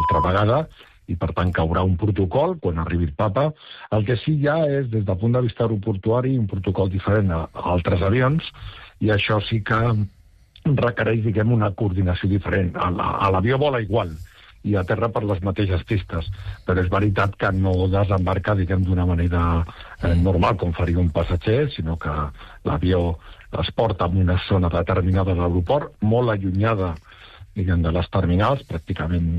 altra vegada, i per tant caurà un protocol quan arribi el papa. El que sí hi ha és, des del punt de vista aeroportuari, un protocol diferent a altres avions, i això sí que requereix, diguem, una coordinació diferent. A l'avió vola igual, i a terra per les mateixes pistes, però és veritat que no desembarca, diguem, d'una manera normal, com faria un passatger, sinó que l'avió es porta en una zona determinada de l'aeroport, molt allunyada, diguem, de les terminals, pràcticament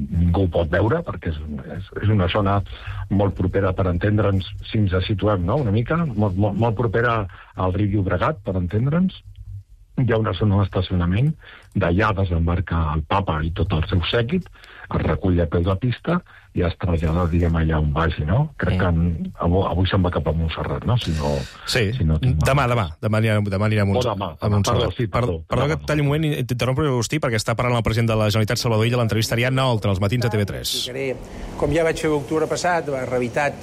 ningú ho pot veure, perquè és una zona molt propera, per entendre'ns, si ens situem, no?, una mica, molt propera al riu Llobregat, per entendre'ns. Hi ha una zona d'estacionament, d'allà desembarca el papa i tot el seu sèquit, es recull a peu de pista i es trasllada, diguem, allà on vagi, no? Crec que avui se'n va cap a Montserrat, no? Sí, demà anirà a Montserrat. Perdó que et talli un moment i t'interrompo, Agustí, perquè està parlant el president de la Generalitat, Salvador Illa, l'entrevistarà a Oltra, als matins de TV3. Com ja vaig fer l'octubre passat, la realitat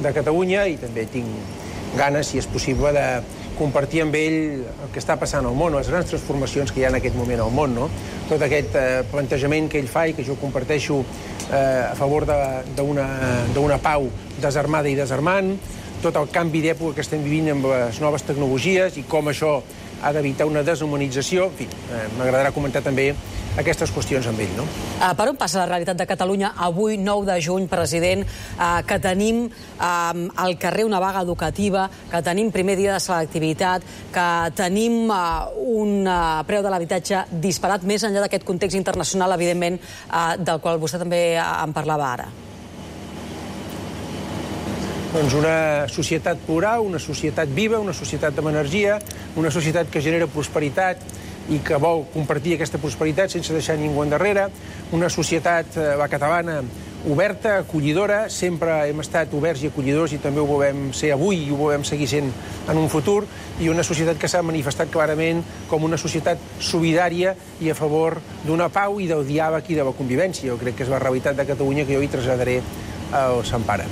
de Catalunya, i també tinc ganes, si és possible, de compartir amb ell el que està passant al món, les grans transformacions que hi ha en aquest moment al món, no? Tot aquest plantejament que ell fa i que jo comparteixo a favor d'una pau desarmada i desarmant, tot el canvi d'època que estem vivint amb les noves tecnologies i com això ha d'evitar una deshumanització. En fi, m'agradarà comentar també aquestes qüestions amb ell, no? Per on passa la realitat de Catalunya avui, 9 de juny, president, que tenim al carrer una vaga educativa, que tenim primer dia de selectivitat, que tenim un preu de l'habitatge disparat, més enllà d'aquest context internacional, evidentment, del qual vostè també en parlava ara? Doncs una societat plural, una societat viva, una societat amb energia, una societat que genera prosperitat i que vol compartir aquesta prosperitat sense deixar ningú endarrere, una societat, la catalana, oberta, acollidora, sempre hem estat oberts i acollidors i també ho volem ser avui i ho volem seguir sent en un futur, i una societat que s'ha manifestat clarament com una societat solidària i a favor d'una pau i del diàleg i de la convivència. Jo crec que és la realitat de Catalunya que jo hi traslladaré al Sant Pare.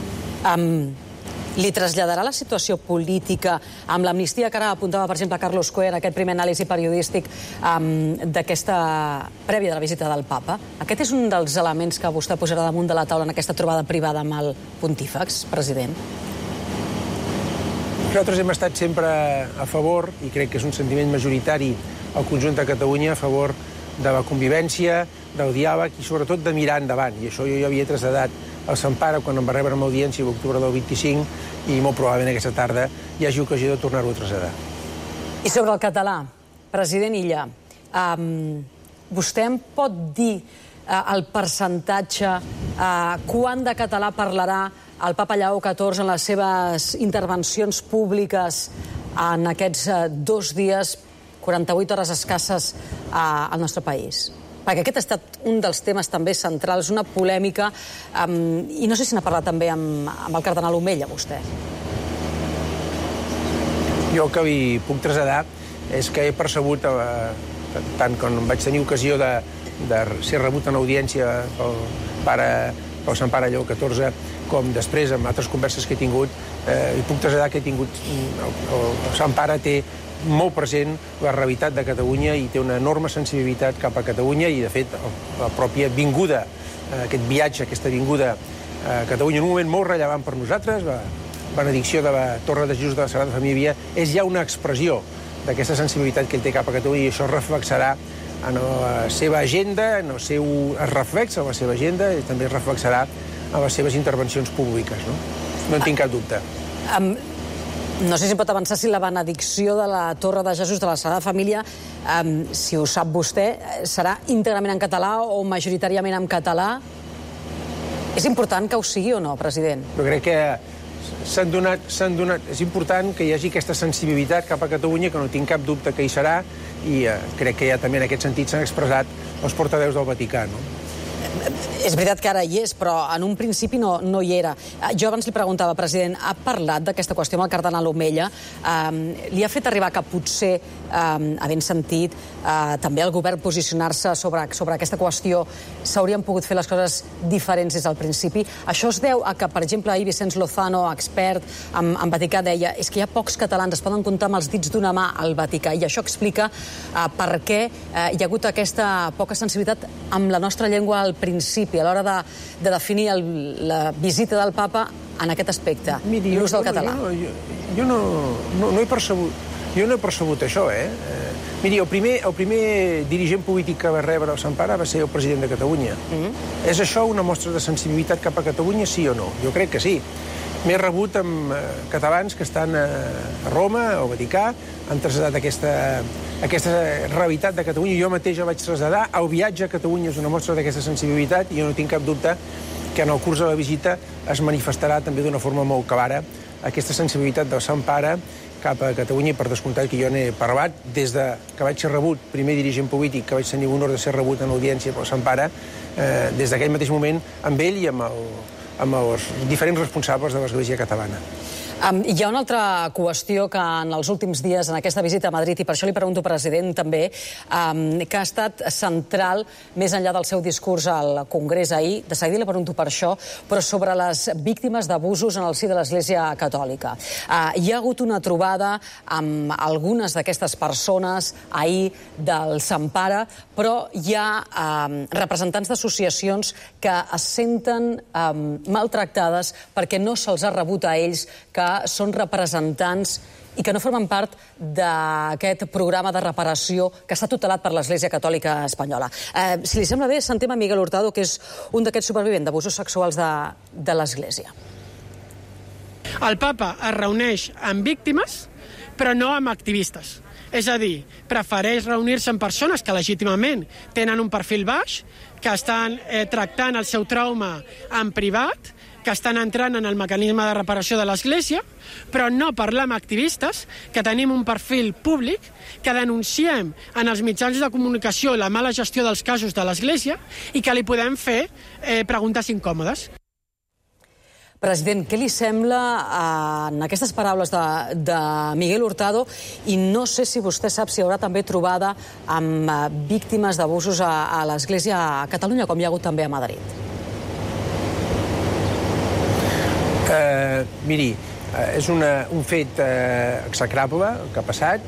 Li traslladarà la situació política amb l'amnistia que ara apuntava, per exemple, Carlos Coe en aquest primer anàlisi periodístic d'aquesta prèvia de la visita del papa? Aquest és un dels elements que vostè posarà damunt de la taula en aquesta trobada privada amb el pontífex, president? Nosaltres hem estat sempre a favor, i crec que és un sentiment majoritari al conjunt de Catalunya, a favor de la convivència, del diàleg i sobretot de mirar endavant. I això jo ja havia traslladat al Sant Pare quan em va rebre amb audiència l'octubre del 25 i molt probablement aquesta tarda hi hagi ocasió de tornar-ho a traslladar. I sobre el català, president Illa, vostè em pot dir el percentatge, quant de català parlarà el papa Lleó XIV en les seves intervencions públiques en aquests 2 dies, 48 hores escasses al nostre país? Perquè aquest ha estat un dels temes també centrals, una polèmica, i no sé si n'ha parlat també amb el cardenal Omella, vostè. Jo el que li puc traslladar és que he percebut, tant quan vaig tenir ocasió de ser rebut en audiència pel Sant Pare Lleó XIV, com després amb altres converses que he tingut, i puc traslladar que el Sant Pare té molt present la realitat de Catalunya i té una enorme sensibilitat cap a Catalunya i, de fet, la pròpia vinguda, aquest viatge, aquesta vinguda a Catalunya, en un moment molt rellevant per nosaltres, la benedicció de la Torre de Jesús de la Sagrada Família, és ja una expressió d'aquesta sensibilitat que ell té cap a Catalunya i això es reflexarà en la seva agenda, es reflexa en la seva agenda i també es reflexarà en les seves intervencions públiques. No en tinc cap dubte. No sé si pot avançar si la benedicció de la Torre de Jesús de la Sagrada Família, si ho sap vostè, serà íntegrament en català o majoritàriament en català? És important que ho sigui o no, president? Jo crec que s'han donat... És important que hi hagi aquesta sensibilitat cap a Catalunya, que no tinc cap dubte que hi serà, i crec que ja també en aquest sentit s'han expressat els portaveus del Vaticà, no? És veritat que ara hi és, però en un principi no hi era. Jo abans li preguntava, president, ha parlat d'aquesta qüestió amb el cardenal Omella? Li ha fet arribar que potser, havent sentit també el govern posicionar-se sobre aquesta qüestió, s'haurien pogut fer les coses diferents des del principi? Això es deu a que, per exemple, ahir Vicenç Lozano, expert en Vaticà, deia és que hi ha pocs catalans, es poden comptar amb els dits d'una mà al Vaticà, i això explica per què hi ha hagut aquesta poca sensibilitat amb la nostra llengua al principi, a l'hora de definir la visita del papa en aquest aspecte, l'ús del català? Jo no he percebut això, Miri, el primer dirigent polític que va rebre el Sant Pare va ser el president de Catalunya. És això una mostra de sensibilitat cap a Catalunya, sí o no? Jo crec que sí. M'he rebut amb catalans que estan a Roma, al Vaticà, han traslladat aquesta realitat de Catalunya. Jo mateix el vaig traslladar. El viatge a Catalunya és una mostra d'aquesta sensibilitat i jo no tinc cap dubte que en el curs de la visita es manifestarà també d'una forma molt clara aquesta sensibilitat del Sant Pare cap a Catalunya, i per descomptat que jo n'he parlat des de que vaig ser rebut, primer dirigent polític, que vaig tenir l'honor de ser rebut en audiència pel Sant Pare, des d'aquell mateix moment amb ell i amb els diferents responsables de l'Església catalana. Hi ha una altra qüestió que en els últims dies, en aquesta visita a Madrid, i per això li pregunto, president, també, que ha estat central, més enllà del seu discurs al Congrés ahir, de seguida li pregunto per això, però sobre les víctimes d'abusos en el si de l'Església Catòlica. Hi ha hagut una trobada amb algunes d'aquestes persones ahir del Sant Pare, però hi ha representants d'associacions que es senten maltractades perquè no se'ls ha rebut a ells, que són representants i que no formen part d'aquest programa de reparació que està tutelat per l'Església Catòlica Espanyola. Si li sembla bé, sentem a Miguel Hurtado, que és un d'aquests supervivents d'abusos sexuals de l'Església. El papa es reuneix amb víctimes, però no amb activistes. És a dir, prefereix reunir-se amb persones que legítimament tenen un perfil baix, que estan tractant el seu trauma en privat, que estan entrant en el mecanisme de reparació de l'Església, però no parlar amb activistes, que tenim un perfil públic, que denunciem en els mitjans de comunicació la mala gestió dels casos de l'Església i que li podem fer preguntes incòmodes. President, què li sembla en aquestes paraules de Miguel Hurtado? I no sé si vostè sap si hi haurà també trobada amb víctimes d'abusos a l'Església a Catalunya, com hi ha hagut també a Madrid. Miri, és un fet execrable el que ha passat.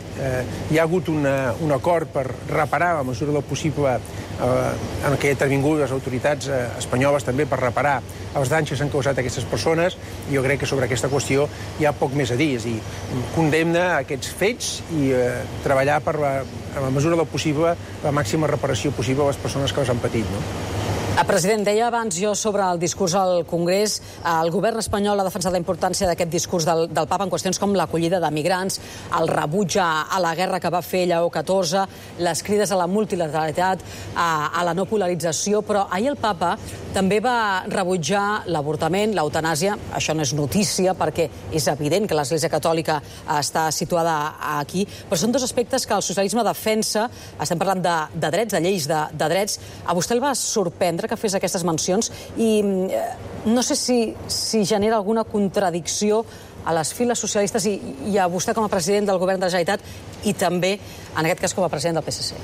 Hi ha hagut un acord per reparar, a la mesura del possible, en què han intervingut les autoritats espanyoles també per reparar els danys que s'han causat a aquestes persones. Jo crec que sobre aquesta qüestió hi ha poc més a dir. És a dir, condemna aquests fets i treballar per, a la mesura del possible, la màxima reparació possible a les persones que els han patit, no? President, deia abans jo sobre el discurs al Congrés, el govern espanyol ha defensat la importància d'aquest discurs del papa en qüestions com l'acollida de migrants, el rebuig a la guerra que va fer Lleó XIV, les crides a la multilateralitat, a la no polarització, però ahir el papa també va rebutjar l'avortament, l'eutanàsia. Això no és notícia perquè és evident que l'Església Catòlica està situada aquí, però són dos aspectes que el socialisme defensa. Estem parlant de drets, de lleis de drets. A vostè el va sorprendre que fes aquestes mencions i no sé si genera alguna contradicció a les files socialistes i a vostè com a president del govern de la Generalitat i també, en aquest cas, com a president del PSC.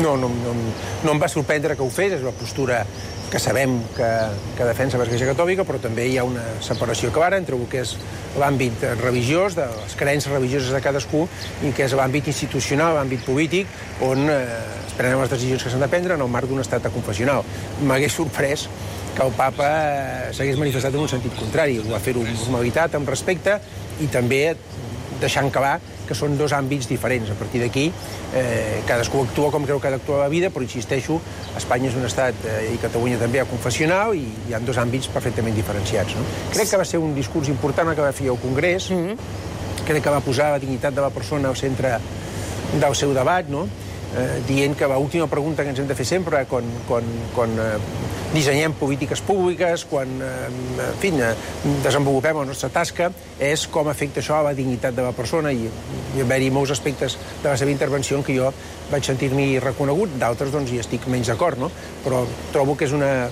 No em va sorprendre que ho fes, és la postura que sabem que defensa l'Església Catòlica, però també hi ha una separació clara entre el que és l'àmbit religiós, de les creences religioses de cadascú, i que és l'àmbit institucional, l'àmbit polític, on es prenen les decisions que s'han de prendre en el marc d'un estat confessional. M'hagués sorprès que el papa s'hagués manifestat en un sentit contrari. Ho va fer-ho amb normalitat, amb respecte, i també deixant clar que són dos àmbits diferents. A partir d'aquí, cadascú actua com creu que ha d'actuar a la vida, però insisteixo, Espanya és un estat, i Catalunya també, confessional, i hi ha dos àmbits perfectament diferenciats. No? Crec que va ser un discurs important el que va fer al Congrés, crec que va posar la dignitat de la persona al centre del seu debat, no? Dient que l'última pregunta que ens hem de fer sempre quan dissenyem polítiques públiques, quan desenvolupem la nostra tasca, és com afecta això a la dignitat de la persona, i hi va-hi molts aspectes de la seva intervenció en què jo vaig sentir-m'hi reconegut, d'altres doncs hi estic menys d'acord, no? Però trobo que és una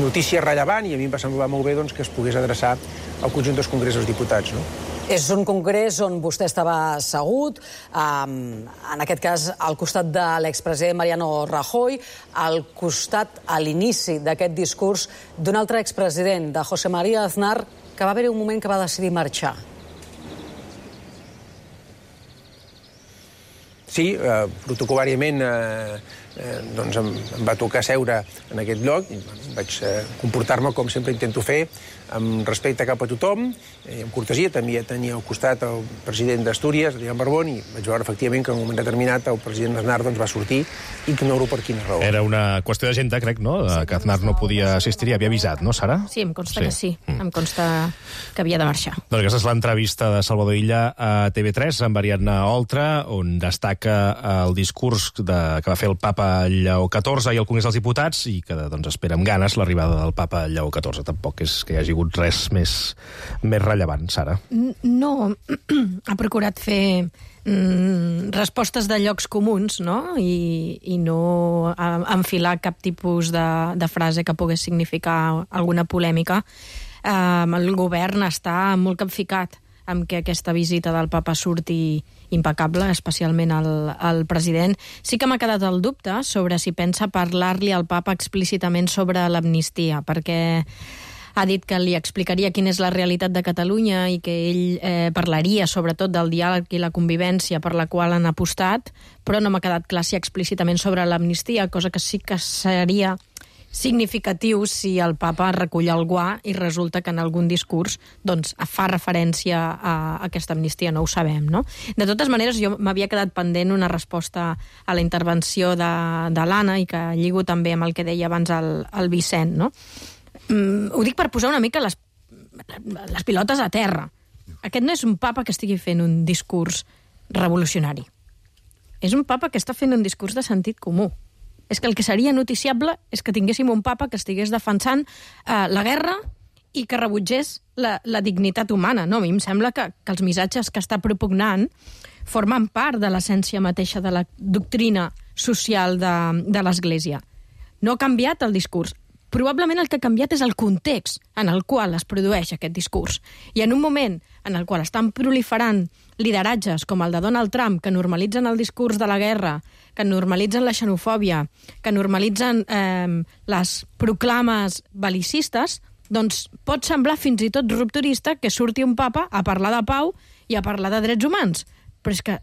notícia rellevant i a mi em va semblar molt bé doncs, que es pogués adreçar al conjunt dels Congrés dels Diputats, no? És un congrés on vostè estava assegut, en aquest cas al costat de l'expresident Mariano Rajoy, al costat, a l'inici d'aquest discurs, d'un altre expresident, de José María Aznar, que va haver-hi un moment que va decidir marxar. Sí, protocolàriament doncs em va tocar seure en aquest lloc i vaig comportar-me com sempre intento fer, amb respecte cap a tothom, amb cortesia. També tenia al costat el president d'Astúries, Adrián Barbón, i vaig veure efectivament que en un moment determinat el president Aznar va sortir, ignoro per quina raó. Era una qüestió d'agenda, crec, no? Que Aznar no podia assistir i havia avisat, no, Sara? Sí, em consta que sí. Em consta que havia de marxar. Doncs aquesta és l'entrevista de Salvador Illa a TV3 amb Ariadna Oltra, on destaca el discurs que va fer el papa Lleó XIV i el Congrés dels Diputats i que doncs, espera amb ganes l'arribada del papa Lleó XIV. Tampoc és que hi hagi hagut res més rellevant, Sara. No, ha procurat fer respostes de llocs comuns, no? I no enfilar cap tipus de frase que pogués significar alguna polèmica. El govern està molt capficat amb que aquesta visita del papa surti impecable, especialment el president. Sí que m'ha quedat el dubte sobre si pensa parlar-li al papa explícitament sobre l'amnistia, perquè ha dit que li explicaria quina és la realitat de Catalunya i que ell parlaria sobretot del diàleg i la convivència per la qual han apostat, però no m'ha quedat clar si explícitament sobre l'amnistia, cosa que sí que seria significatiu si el papa recull el guà i resulta que en algun discurs doncs, fa referència a aquesta amnistia, no ho sabem, no? De totes maneres, jo m'havia quedat pendent una resposta a la intervenció de l'Anna i que lligo també amb el que deia abans el Vicent, no? Ho dic per posar una mica les pilotes a terra. Aquest no és un papa que estigui fent un discurs revolucionari. És un papa que està fent un discurs de sentit comú. És que el que seria noticiable és que tinguéssim un papa que estigués defensant la guerra i que rebutgés la dignitat humana. No, a mi em sembla que els missatges que està propugnant formen part de l'essència mateixa de la doctrina social de l'Església. No ha canviat el discurs. Probablement el que ha canviat és el context en el qual es produeix aquest discurs. I en un moment en el qual estan proliferant lideratges com el de Donald Trump, que normalitzen el discurs de la guerra, que normalitzen la xenofòbia, que normalitzen les proclames bel·licistes, doncs pot semblar fins i tot rupturista que surti un papa a parlar de pau i a parlar de drets humans. Però és que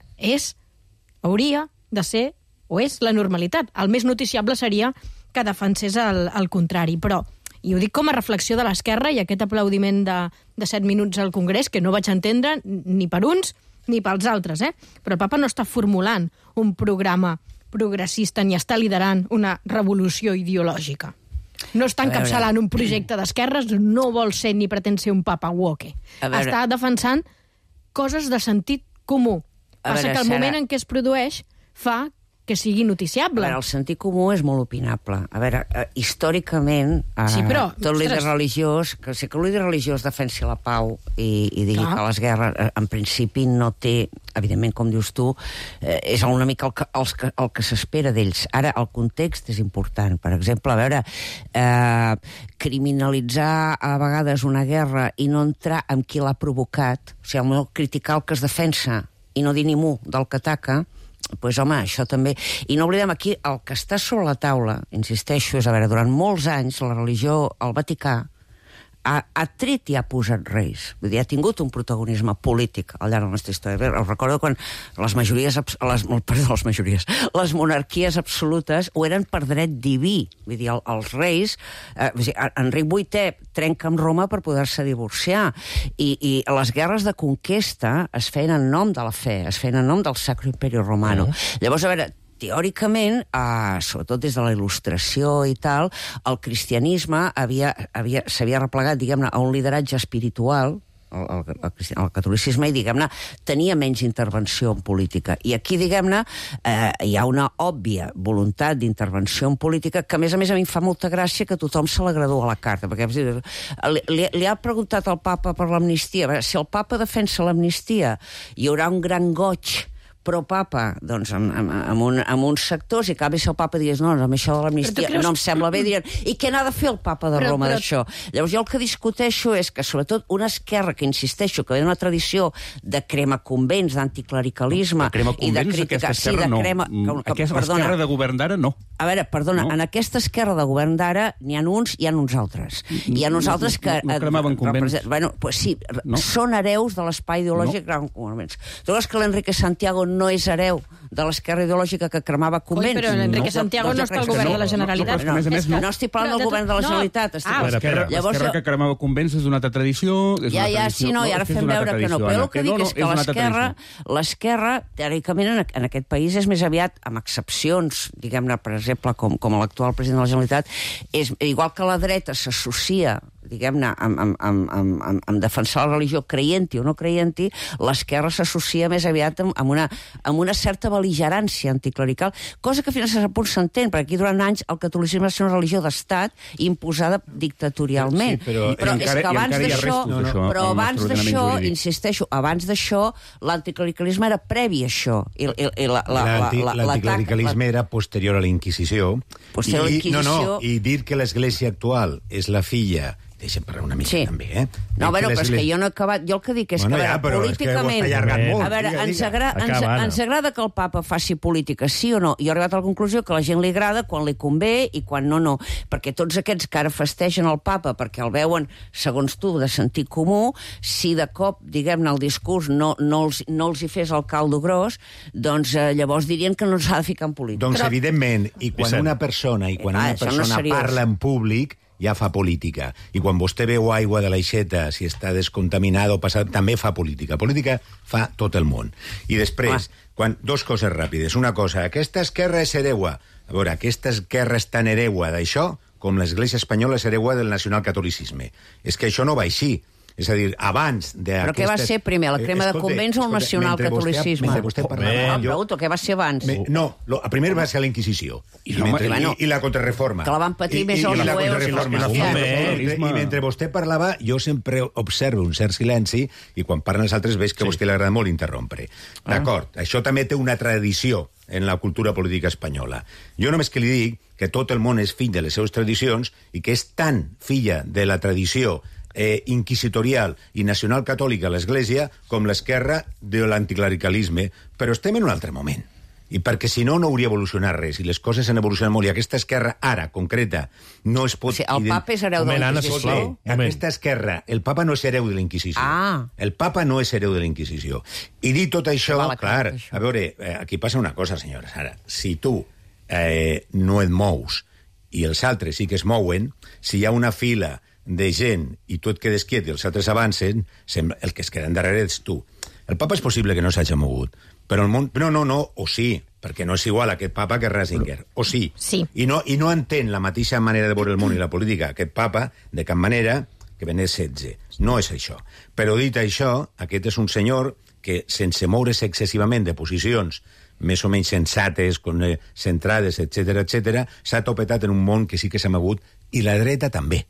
hauria de ser, o és la normalitat. El més noticiable seria que defensés el contrari, però, i ho dic com a reflexió de l'esquerra i aquest aplaudiment de 7 minuts al Congrés, que no vaig entendre ni per uns ni pels altres, però el papa no està formulant un programa progressista ni està liderant una revolució ideològica. No està encapçalant un projecte d'esquerres, no vol ser ni pretén ser un papa woke. Està defensant coses de sentit comú. Passa que el moment en què es produeix fa que sigui noticiable. El sentit comú és molt opinable. A veure, històricament, sí, però, tot líder religiós, que sé que el líder religiós defensi la pau i digui que les guerres, en principi, no té, evidentment, com dius tu, és una mica el que s'espera d'ells. Ara, el context és important. Per exemple, a veure, criminalitzar a vegades una guerra i no entrar amb qui l'ha provocat, o sigui, no criticar el que es defensa i no dir ni mu del que ataca, doncs, home, això també... I no oblidem aquí, el que està sobre la taula, insisteixo, és, a veure, durant molts anys la religió, el Vaticà, ha tret i ha posat reis. Vull dir, ha tingut un protagonisme polític al llarg de la nostra història. Us recordo quan les monarquies absolutes ho eren per dret diví. Vull dir, els reis... Enric VIII trenca amb Roma per poder-se divorciar. I les guerres de conquesta es feien en nom de la fe, es feien en nom del Sacro Imperio Romano. Llavors, a veure, teòricament, sobretot des de la Il·lustració i tal, el cristianisme s'havia replegat, diguem-ne, a un lideratge espiritual, el catolicisme, i, diguem-ne, tenia menys intervenció en política. I aquí, diguem-ne, hi ha una òbvia voluntat d'intervenció en política que, a més, a mi em fa molta gràcia que tothom se la gradua a la carta, perquè li ha preguntat al papa per l'amnistia. Si el papa defensa l'amnistia, hi haurà un gran goig pro-papa, doncs, amb uns sectors, i cada vegada si el papa digués no, amb això de l'amnistia no em sembla bé, dirien, i què n'ha de fer el papa de Roma d'això? Llavors jo el que discuteixo és que, sobretot, una esquerra que, insisteixo, que ve una tradició de crema convents, d'anticlericalisme i de crítica... Sí, de crema... Aquesta esquerra de govern d'ara, no. A veure, perdona, en aquesta esquerra de govern d'ara n'hi ha uns i hi ha uns altres. Hi ha uns altres que... No cremaven convents. Bueno, pues sí, són hereus de l'espai ideològic. Tu veus que l'Enrique Santiago no és hereu de l'esquerra ideològica que cremava convents. Però Enrique Santiago no està al govern de la Generalitat. No estic parlant del govern de la Generalitat. L'esquerra que cremava convents és una altra tradició. Sí, no, i ara fem veure que no. Però el que dic és que l'esquerra, teòricament, en aquest país és més aviat, amb excepcions, diguem-ne, per exemple, com l'actual president de la Generalitat, és igual que la dreta s'associa, diguem-ne, amb defensar la religió, creient-hi o no creient-hi, l'esquerra s'associa més aviat amb una certa bel·ligerància anticlerical, cosa que fins a cert punt s'entén, perquè aquí durant anys el catolicisme va ser una religió d'estat imposada dictatorialment. Sí, però és que abans d'això, insisteixo, abans d'això, l'anticlericalisme era previ a això. L'anticlericalisme era posterior a la Inquisició. I dir que l'Església actual és la filla... Deixa'm parlar una mica, també, eh? No, però és que jo no he acabat... Jo el que dic és que, políticament... A veure, ens agrada que el papa faci política, sí o no? Jo he arribat a la conclusió que a la gent li agrada quan li convé i quan no. Perquè tots aquests que ara festegen el papa perquè el veuen, segons tu, de sentit comú, si de cop, diguem-ne, el discurs no els hi fes el caldo gros, doncs llavors dirien que no s'ha de ficar en política. Doncs, evidentment, i quan una persona parla en públic, ja fa política. I quan vostè veu aigua de l'aixeta, si està descontaminada o passat, també fa política. Política fa tot el món. I després, dos coses ràpides. Una cosa, aquesta esquerra és hereua. A veure, aquesta esquerra és tan hereua d'això com l'Església espanyola és hereua del nacionalcatolicisme. És que això no va així. És a dir, abans d'aquestes... Però què va ser primer, la crema de convents o el nacionalcatolicisme? Mentre vostè parlava... Pregunto, què va ser abans? No, el primer va ser la Inquisició. I la contrarreforma. Que la van patir més els jueus. I mentre vostè parlava, jo sempre observo un cert silenci i quan parlen els altres veig que a vostè li agrada molt interrompre. D'acord, això també té una tradició en la cultura política espanyola. Jo només que li dic que tot el món és fill de les seves tradicions i que és tan filla de la tradició inquisitorial i nacional catòlica a l'Església com l'esquerra de l'anticlericalisme, però estem en un altre moment. I perquè si no hauria evolucionat res, i les coses han evolucionat molt, i aquesta esquerra, ara, concreta, no es pot... El papa és hereu de la Inquisició? Aquesta esquerra, el papa no és hereu de la Inquisició. El papa no és hereu de la Inquisició. I dit tot això, clar, a veure, aquí passa una cosa, senyora Sara. Si tu no et mous i els altres sí que es mouen, si hi ha una fila de gent i tu et quedes quiet i els altres avancen, el que es queda endarrere ets tu. El papa és possible que no s'hagi mogut, però el món... No, o sí, perquè no és igual aquest papa que Ratzinger, o sí. I no entén la mateixa manera de veure el món i la política aquest papa, de cap manera, que Benet XVI. No és això. Però dit això, aquest és un senyor que, sense moure's excessivament de posicions més o menys sensates, centrades, etc., s'ha topetat en un món que sí que s'ha mogut, i la dreta també.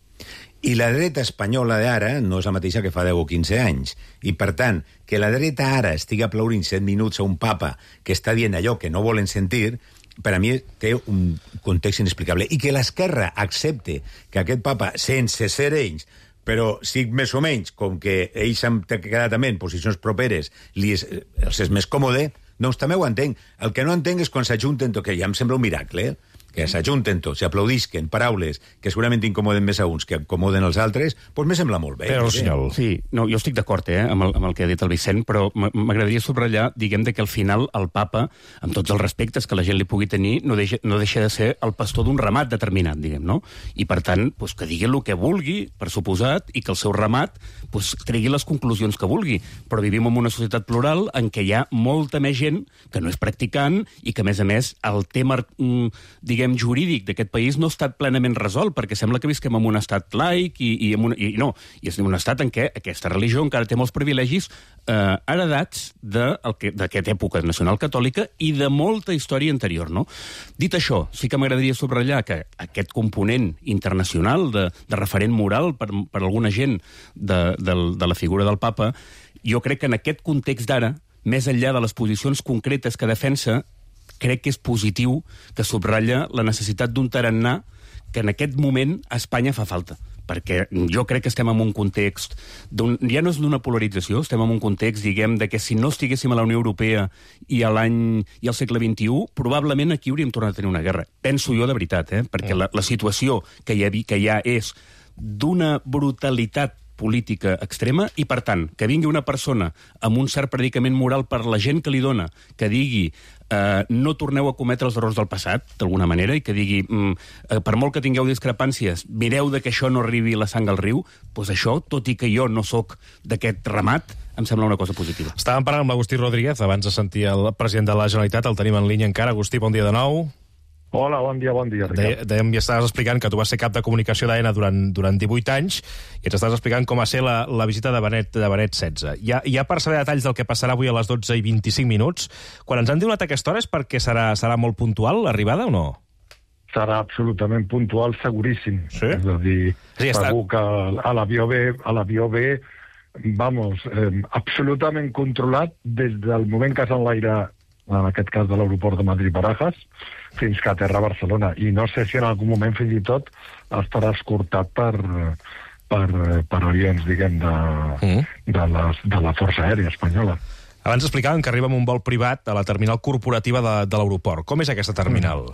I la dreta espanyola d'ara no és la mateixa que fa 10 o 15 anys. I, per tant, que la dreta ara estigui aplaudint 7 minuts a un papa que està dient allò que no volen sentir, per a mi té un context inexplicable. I que l'esquerra accepte que aquest papa, sense ser ells, però sí més o menys, com que ells han quedat també en posicions properes, els és més còmode, doncs també ho entenc. El que no entenc és quan s'ajunten, que ja em sembla un miracle, que s'ajunten tots, s'aplaudisquen paraules que segurament incomoden més a uns que incomoden els altres, doncs me sembla molt bé. Però, senyor... Sí, no, jo estic d'acord amb el que ha dit el Vicent, però m'agradaria subratllar, diguem, que al final el papa, amb tots els respectes que la gent li pugui tenir, no deixa de ser el pastor d'un ramat determinat, diguem, no? I, per tant, que digui el que vulgui, per suposat, i que el seu ramat tregui les conclusions que vulgui. Però vivim en una societat plural en què hi ha molta més gent que no és practicant i que, a més, el tema, diguem, jurídic d'aquest país no ha estat plenament resolt, perquè sembla que visquem en un estat laic i és un estat en què aquesta religió encara té molts privilegis heredats d'aquesta època nacional catòlica i de molta història anterior, no? Dit això, sí que m'agradaria subratllar que aquest component internacional de referent moral per alguna gent de la figura del papa, jo crec que en aquest context d'ara, més enllà de les posicions concretes que defensa, crec que és positiu que subratlla la necessitat d'un tarannà que en aquest moment a Espanya fa falta. Perquè jo crec que estem en un context... ja no és d'una polarització, estem en un context, diguem, de que si no estiguéssim a la Unió Europea i al segle XXI, probablement aquí hauríem tornat a tenir una guerra. Penso jo de veritat, perquè la situació que hi ha és d'una brutalitat política extrema i, per tant, que vingui una persona amb un cert predicament moral per la gent que li dona, que digui no torneu a cometre els errors del passat, d'alguna manera, i que digui, per molt que tingueu discrepàncies, mireu de que això no arribi la sang al riu, doncs això, tot i que jo no sóc d'aquest ramat, em sembla una cosa positiva. Estàvem parlant amb l'Agustí Rodríguez, abans de sentir el president de la Generalitat, el tenim en línia encara. Agustí, bon dia de nou. Hola, bon dia, Ricard. Dèiem, ja estaves explicant que tu vas ser cap de comunicació d'AENA durant 18 anys i ens estaves explicant com va ser la visita de Benet XVI. Ja per saber detalls del que passarà avui a les 12 i 25 minuts, quan ens han donat aquesta hora és perquè serà molt puntual l'arribada o no? Serà absolutament puntual, seguríssim. Sí? És a dir, sí, segur que a l'avió ve, vamos, absolutament controlat des del moment que s'enlaira, en aquest cas de l'aeroport de Madrid-Barajas, fins que aterra a Barcelona. I no sé si en algun moment, fins i tot, estarà escortat per avions, diguem, de la Força Aèria Espanyola. Abans explicàvem que arriba amb un vol privat a la terminal corporativa de l'aeroport. Com és aquesta terminal?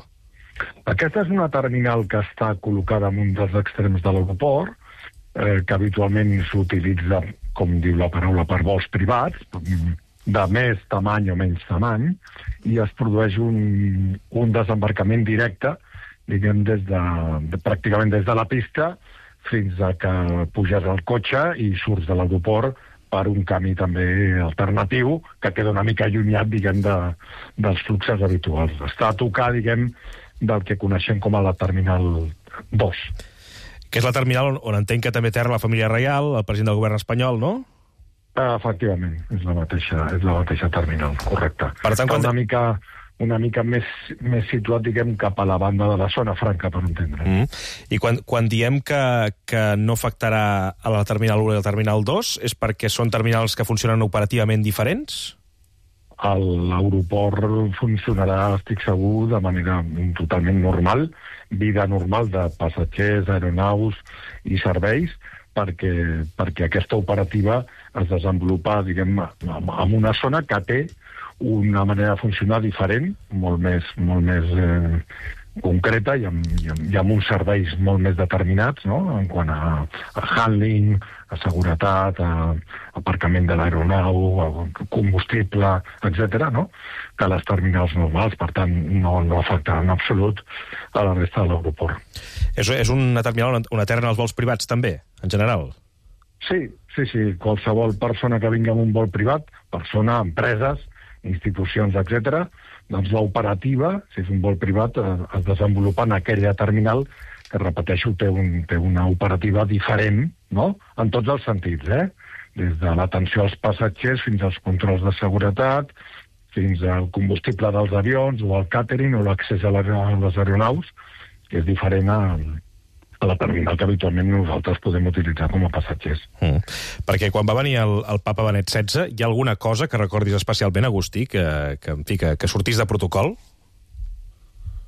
Aquesta és una terminal que està col·locada en un dels extrems de l'aeroport, que habitualment s'utilitza, com diu la paraula, per vols privats, de més tamany o menys tamany, i es produeix un desembarcament directe, diguem, pràcticament des de la pista fins a que puges al cotxe i surts de l'aeroport per un camí també alternatiu que queda una mica allunyat, diguem, dels fluxos habituals. Està a tocar, diguem, del que coneixem com a la Terminal 2. Que és la terminal on entenc que també aterra la família reial, el president del govern espanyol, no? Efectivament, és la mateixa terminal, correcte. Per tant, una mica més situat, diguem, cap a la banda de la zona franca, per entendre. I quan diem que no afectarà a la Terminal 1 i la Terminal 2, és perquè són terminals que funcionen operativament diferents? L'aeroport funcionarà, estic segur, de manera totalment normal, vida normal de passatgers, aeronaus i serveis, perquè aquesta operativa es desenvolupa, diguem, en una zona que té una manera de funcionar diferent, molt més concreta i amb uns serveis molt més determinats, no?, en quant a handling, a seguretat, a aparcament de l'aeronau, a combustible, etc., no?, que les terminals normals. Per tant, no afecta en absolut a la resta de l'aeroport. És una terminal on aterren els vols privats, també, en general? Sí. Qualsevol persona que vingui amb un vol privat, persona, empreses, institucions, etc., doncs l'operativa, si és un vol privat, es desenvolupa en aquella terminal que, repeteixo, té una operativa diferent, no?, en tots els sentits, des de l'atenció als passatgers fins als controls de seguretat, fins al combustible dels avions o al càtering o l'accés a les aeronaus, que és diferent a la terminal que habitualment nosaltres podem utilitzar com a passatgers. Perquè quan va venir el papa Benet XVI, hi ha alguna cosa que recordis especialment, Agustí, que sortís de protocol?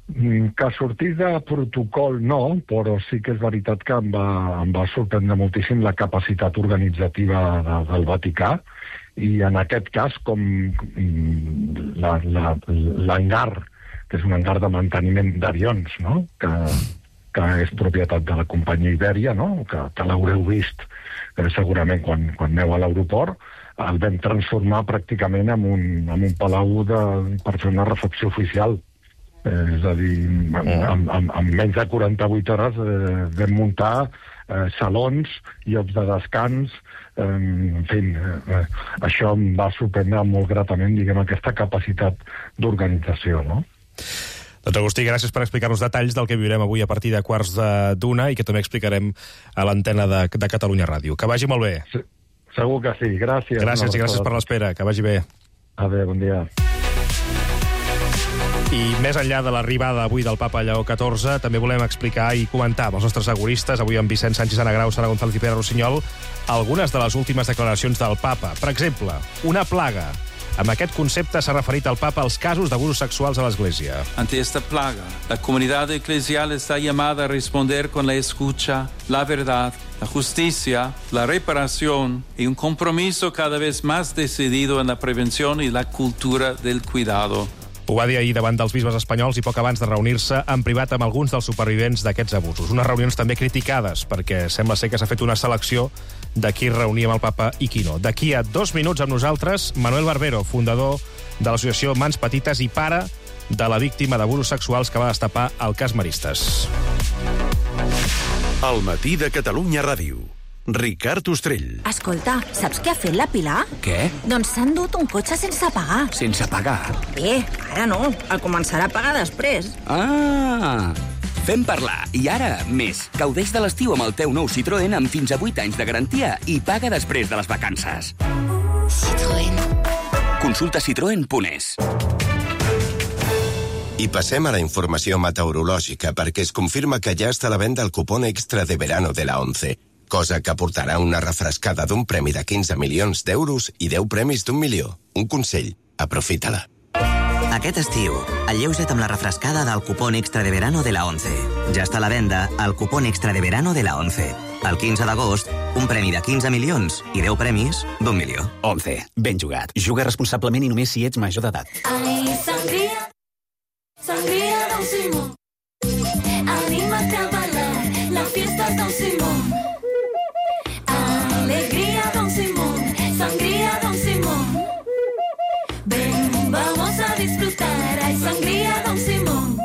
Que sortís de protocol no, però sí que és veritat que em va sorprendre moltíssim la capacitat organitzativa del Vaticà, i en aquest cas, com l'hangar, que és un hangar de manteniment d'avions, no?, que és propietat de la companyia Ibèria, no?, que l'haureu vist segurament quan aneu a l'aeroport, el vam transformar pràcticament en un palau per fer una recepció oficial. És a dir, en menys de 48 hores vam muntar salons, llocs de descans, en fi, això em va sorprendre molt gratament, diguem, aquesta capacitat d'organització, no? Doncs Agustí, gràcies per explicar-nos detalls del que viurem avui a partir de 12:15 i que també explicarem a l'antena de Catalunya Ràdio. Que vagi molt bé. Sí, segur que sí, gràcies. Gràcies i gràcies per l'espera, que vagi bé. Adéu, bon dia. I més enllà de l'arribada avui del papa Lleó XIV, també volem explicar i comentar amb els nostres seguristes, avui amb Vicent Sánchez Anagrau, Sara González i Pere Rossinyol, algunes de les últimes declaracions del papa. Per exemple, una plaga. Amb aquest concepte s'ha referit el papa als casos d'abusos sexuals a l'Església. Ante esta plaga, la comunidad eclesial está llamada a responder con la escucha, la verdad, la justicia, la reparación y un compromiso cada vez más decidido en la prevención y la cultura del cuidado. Ho va dir ahir davant dels bisbes espanyols i poc abans de reunir-se en privat amb alguns dels supervivents d'aquests abusos. Unes reunions també criticades, perquè sembla ser que s'ha fet una selecció de qui reunia amb el papa i qui no. D'aquí a 2 minuts amb nosaltres, Manuel Barbero, fundador de l'associació Mans Petites i pare de la víctima d'abusos sexuals que va destapar el cas Maristes. Al matí de Catalunya Ràdio. Ricard Ostrell. Escolta, saps què ha fet la Pilar? Què? Doncs s'ha endut un cotxe sense pagar. Sense pagar? Bé, ara no. El començarà a pagar després. Ah! Fem parlar. I ara, més. Gaudeix de l'estiu amb el teu nou Citroën amb fins a 8 anys de garantia i paga després de les vacances. Citroën. Consulta citroen.es. I passem a la informació meteorològica perquè es confirma que ja està a la venda el cupón extra de verano de la 11, cosa que aportarà una refrescada d'un premi de 15 milions d'euros i 10 premis d'1 milió. Un consell, aprofita-la. Aquest estiu, alleuja't amb la refrescada del cupón extra de verano de la 11. Ja està a la venda el cupón extra de verano de la 11. El 15 d'agost, un premi de 15 milions i 10 premis d'1 milió. 11. Ben jugat. Juga responsablement i només si ets major d'edat. Ai, sangria, sangria Don Simón. Anímate a bailar, la fiesta Don Simón. Alegría Don Simón, sangría Don Simón. Ven, vamos a disfrutar, ay, sangría Don Simón.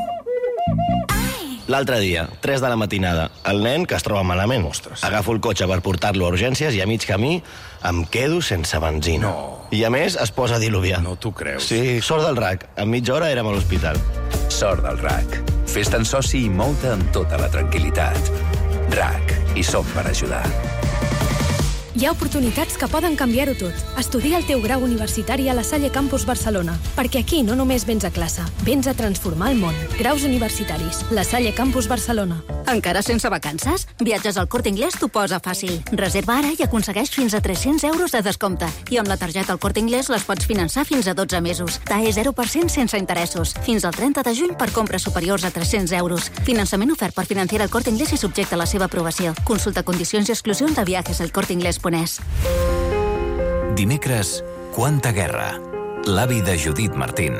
L'altre dia, 3 de la matinada, el nen que es troba malament. Ostres. Agafo el cotxe per portar-lo a urgències i a mig camí em quedo sense benzina. No. I a més es posa a diluviar. No t'ho creus. Sí, sort del RAC. En mitja hora érem a l'hospital. Sort del RAC. Fes-te'n soci i mou-te amb tota la tranquil·litat. RAC. Hi som per ajudar. Hi ha oportunitats que poden canviar-ho tot. Estudia el teu grau universitari a la Salle Campus Barcelona, perquè aquí no només vens a classe, vens a transformar el món. Graus universitaris. La Salle Campus Barcelona. Encara sense vacances? Viatges al Corte Inglés t'ho posa fàcil. Reserva ara i aconsegueix fins a 300 euros de descompte. I amb la targeta al Corte Inglés les pots finançar fins a 12 mesos. TAE 0% sense interessos. Fins al 30 de juny per compres superiors a 300 euros. Finançament ofert per Financiera al Corte Inglés i subjecte a la seva aprovació. Consulta condicions i exclusions de viajes al Corte Inglés. Dimecres, Quanta guerra. L'avi de Judit Martín.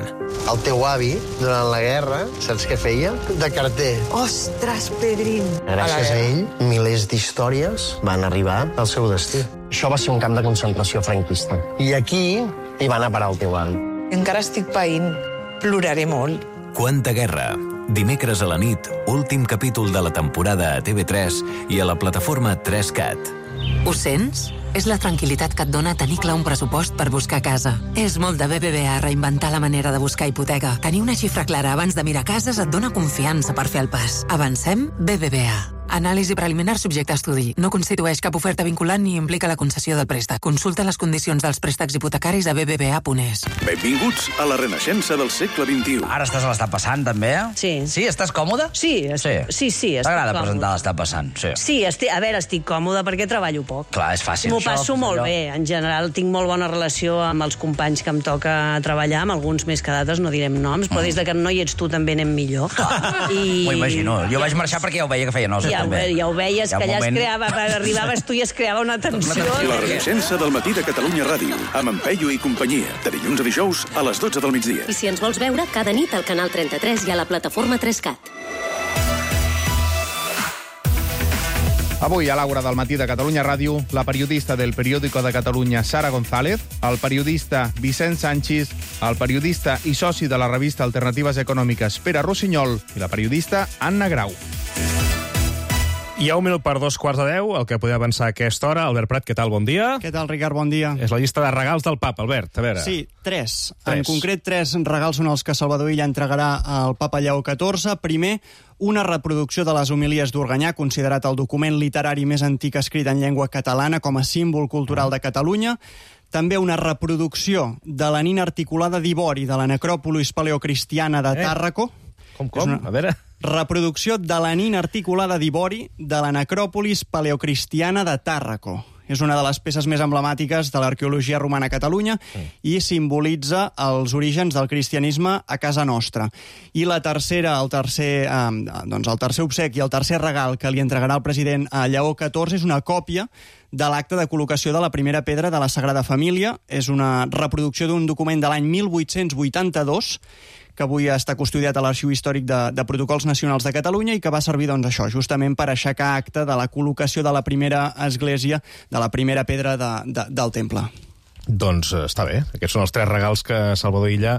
El teu avi, durant la guerra, saps què feia? De carter. Ostres, Pedrín! Gràcies a ell, milers d'històries van arribar al seu destí. Això va ser un camp de concentració franquista. I aquí hi va anar a parar el teu avi. Encara estic païnt. Ploraré molt. Quanta guerra. Dimecres a la nit, últim capítol de la temporada a TV3 i a la plataforma 3Cat. Ho sents? És la tranquil·litat que et dona tenir clar un pressupost per buscar casa. És molt de BBVA reinventar la manera de buscar hipoteca. Tenir una xifra clara abans de mirar cases et dona confiança per fer el pas. Avancem BBVA. Anàlisi preliminar subjecte a estudi. No constitueix cap oferta vinculant ni implica la concessió del préstec. Consulta les condicions dels préstecs hipotecaris a bbva.es. Benvinguts a la renaixença del segle XXI. Ara estàs a l'Està passant, també? Sí. Sí, estàs còmode? Sí. T'agrada presentar l'Està passant? Sí, estic còmode perquè treballo poc. Clar, és fàcil. M'ho passo molt bé. En general, tinc molt bona relació amb els companys que em toca treballar, amb alguns més que d'altres, no direm noms, però des que no hi ets tu també anem millor. M'ho imagino. Jo vaig marxar perquè ja ho veia que feia nosa, també. Ja ho veies, que allà es creava, arribaves tu i es creava una tensió. La renaixença del matí de Catalunya Ràdio, amb en Peyu i companyia, de dilluns a dijous a les 12 del migdia. I si ens vols veure, cada nit al canal 33 i a la plataforma 3Cat. Avui, a l'Aura del matí de Catalunya Ràdio, la periodista del Periódico de Catalunya, Sara González, el periodista Vicent Sanchis, el periodista i soci de la revista Alternatives Econòmiques, Pere Rossinyol, i la periodista Anna Grau. Hi ha 1 minut per 2:15, el que podem avançar a aquesta hora. Albert Prat, què tal? Bon dia. Què tal, Ricard? Bon dia. És la llista de regals del papa, Albert, a veure. Sí, 3. En concret, 3 regals són els que Salvador Illa entregarà al papa Lleó XIV. Primer, una reproducció de les homilies d'Organyà, considerat el document literari més antic escrit en llengua catalana com a símbol cultural de Catalunya. També una reproducció de la nina articulada d'Ivori de la necròpolis paleocristiana de Tàrraco. Com? A veure... Reproducció de la nina articulada d'Ivori de la necròpolis paleocristiana de Tàrraco. És una de les peces més emblemàtiques de l'arqueologia romana a Catalunya i simbolitza els orígens del cristianisme a casa nostra. I la tercera, el tercer obsequi, el tercer regal que li entregarà el president a Lleó XIV és una còpia de l'acte de col·locació de la primera pedra de la Sagrada Família. És una reproducció d'un document de l'any 1882 que avui està custodiat a l'Arxiu Històric de Protocols Nacionals de Catalunya i que va servir, doncs, això, justament per aixecar acte de la col·locació de la primera església, de la primera pedra del temple. Doncs està bé. Aquests són els 3 regals que Salvador Illa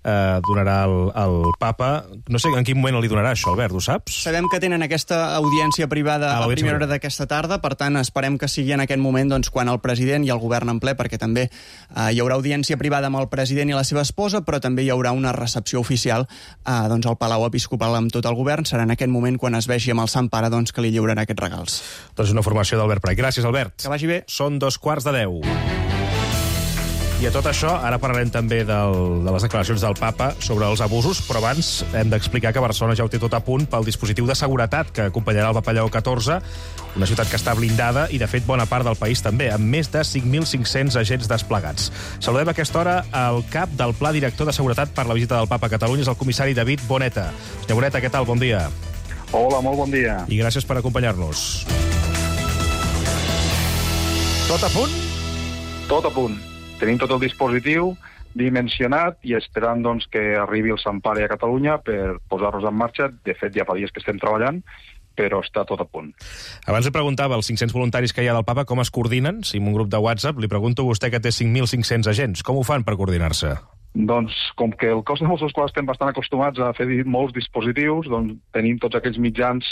donarà al papa. No sé en quin moment li donarà això, Albert, ho saps? Sabem que tenen aquesta audiència privada a primera hora d'aquesta tarda, per tant, esperem que sigui en aquest moment doncs, quan el president i el govern en ple, perquè també hi haurà audiència privada amb el president i la seva esposa, però també hi haurà una recepció oficial doncs, al Palau Episcopal amb tot el govern. Serà en aquest moment quan es vegi amb el Sant Pare doncs, que li lliurarà aquests regals. Doncs una formació d'Albert Prat. Gràcies, Albert. Que vagi bé. Són 2:15. I a tot això, ara parlarem també de les declaracions del papa sobre els abusos, però abans hem d'explicar que Barcelona ja ho té tot a punt pel dispositiu de seguretat que acompanyarà el papa Lleó XIV, una ciutat que està blindada i, de fet, bona part del país també, amb més de 5.500 agents desplegats. Saludem a aquesta hora el cap del Pla Director de Seguretat per la visita del papa a Catalunya, és el comissari David Boneta. Senyor Boneta, què tal? Bon dia. Hola, molt bon dia. I gràcies per acompanyar-nos. Tot a punt? Tot a punt. Tenim tot el dispositiu dimensionat i esperant doncs, que arribi el Sant Pare a Catalunya per posar-nos en marxa. De fet, ja fa dies que estem treballant, però està tot a punt. Abans li preguntava als 500 voluntaris que hi ha del papa com es coordinen. Si en un grup de WhatsApp li pregunto a vostè que té 5.500 agents. Com ho fan per coordinar-se? Doncs, com que el cos de Mossos d'Esquadra estem bastant acostumats a fer molts dispositius, doncs tenim tots aquells mitjans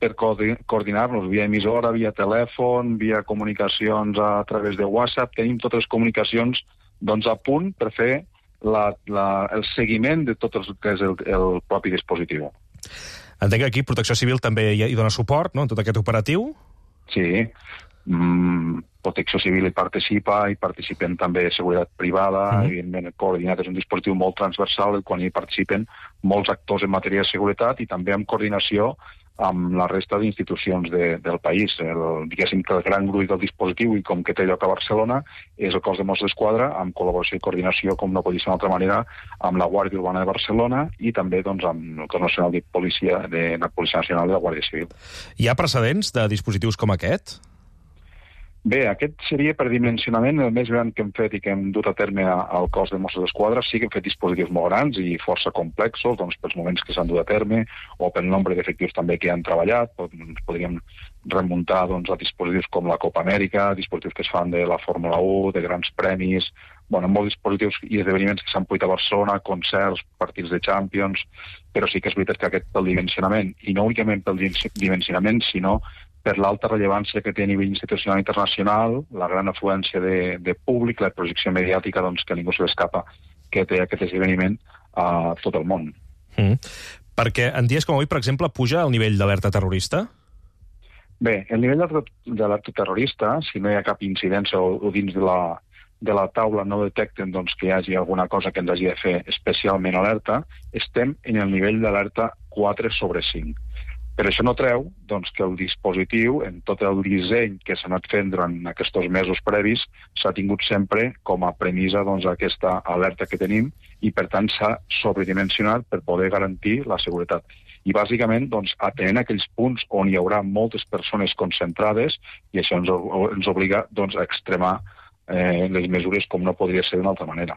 per coordinar-nos via emissora, via telèfon, via comunicacions a través de WhatsApp. Tenim totes les comunicacions doncs, a punt per fer el seguiment de tot el que és el propi dispositiu. Entenc que aquí Protecció Civil també hi dona suport, no?, en tot aquest operatiu? Sí. Protecció Civil hi participen també Seguretat Privada, evidentment coordinat és un dispositiu molt transversal, quan hi participen molts actors en matèria de seguretat i també en coordinació amb la resta d'institucions del país. Diguéssim que el gran gruix del dispositiu, i com que té lloc a Barcelona, és el cos de Mossos d'Esquadra, amb col·laboració i coordinació, com no pot ser d'una altra manera, amb la Guàrdia Urbana de Barcelona i també doncs, amb el cos nacional de policia, de la Policia Nacional i la Guàrdia Civil. Hi ha precedents de dispositius com aquest? Bé, aquest seria per dimensionament el més gran que hem fet i que hem dut a terme al cos de Mossos d'Esquadra. Sí que hem fet dispositius molt grans i força complexos, doncs, pels moments que s'han dut a terme o pel nombre d'efectius també que han treballat. Podríem remuntar doncs, a dispositius com la Copa Amèrica, dispositius que es fan de la Fórmula 1, de grans premis, molts dispositius i esdeveniments que s'han pogut a Barcelona, concerts, partits de Champions, però sí que és veritat que aquest pel dimensionament, i no únicament pel dimensionament, sinó per l'alta rellevància que té a nivell institucional i internacional, la gran afluència de públic, la projecció mediàtica doncs, que ningú se l'escapa que té aquest esdeveniment a tot el món. Perquè en dies com avui, per exemple, puja el nivell d'alerta terrorista? Bé, el nivell d'alerta terrorista, si no hi ha cap incidència o dins de la taula no detecten doncs, que hi hagi alguna cosa que ens hagi de fer especialment alerta, estem en el nivell d'alerta 4/5. Però això no treu doncs, que el dispositiu, en tot el disseny que s'ha anat fent durant aquests mesos previs, s'ha tingut sempre com a premissa doncs, aquesta alerta que tenim i, per tant, s'ha sobredimensionat per poder garantir la seguretat. I, bàsicament, doncs, atenent aquells punts on hi haurà moltes persones concentrades, i això ens obliga doncs, a extremar les mesures com no podria ser d'una altra manera.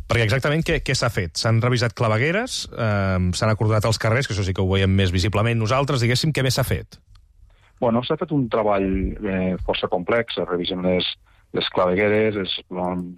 Perquè exactament què s'ha fet? S'han revisat clavegueres, s'han acordonat els carrers, que això sí que ho veiem més visiblement nosaltres, diguéssim, què més s'ha fet? Bueno, s'ha fet un treball força complex, es revisen les clavegueres, es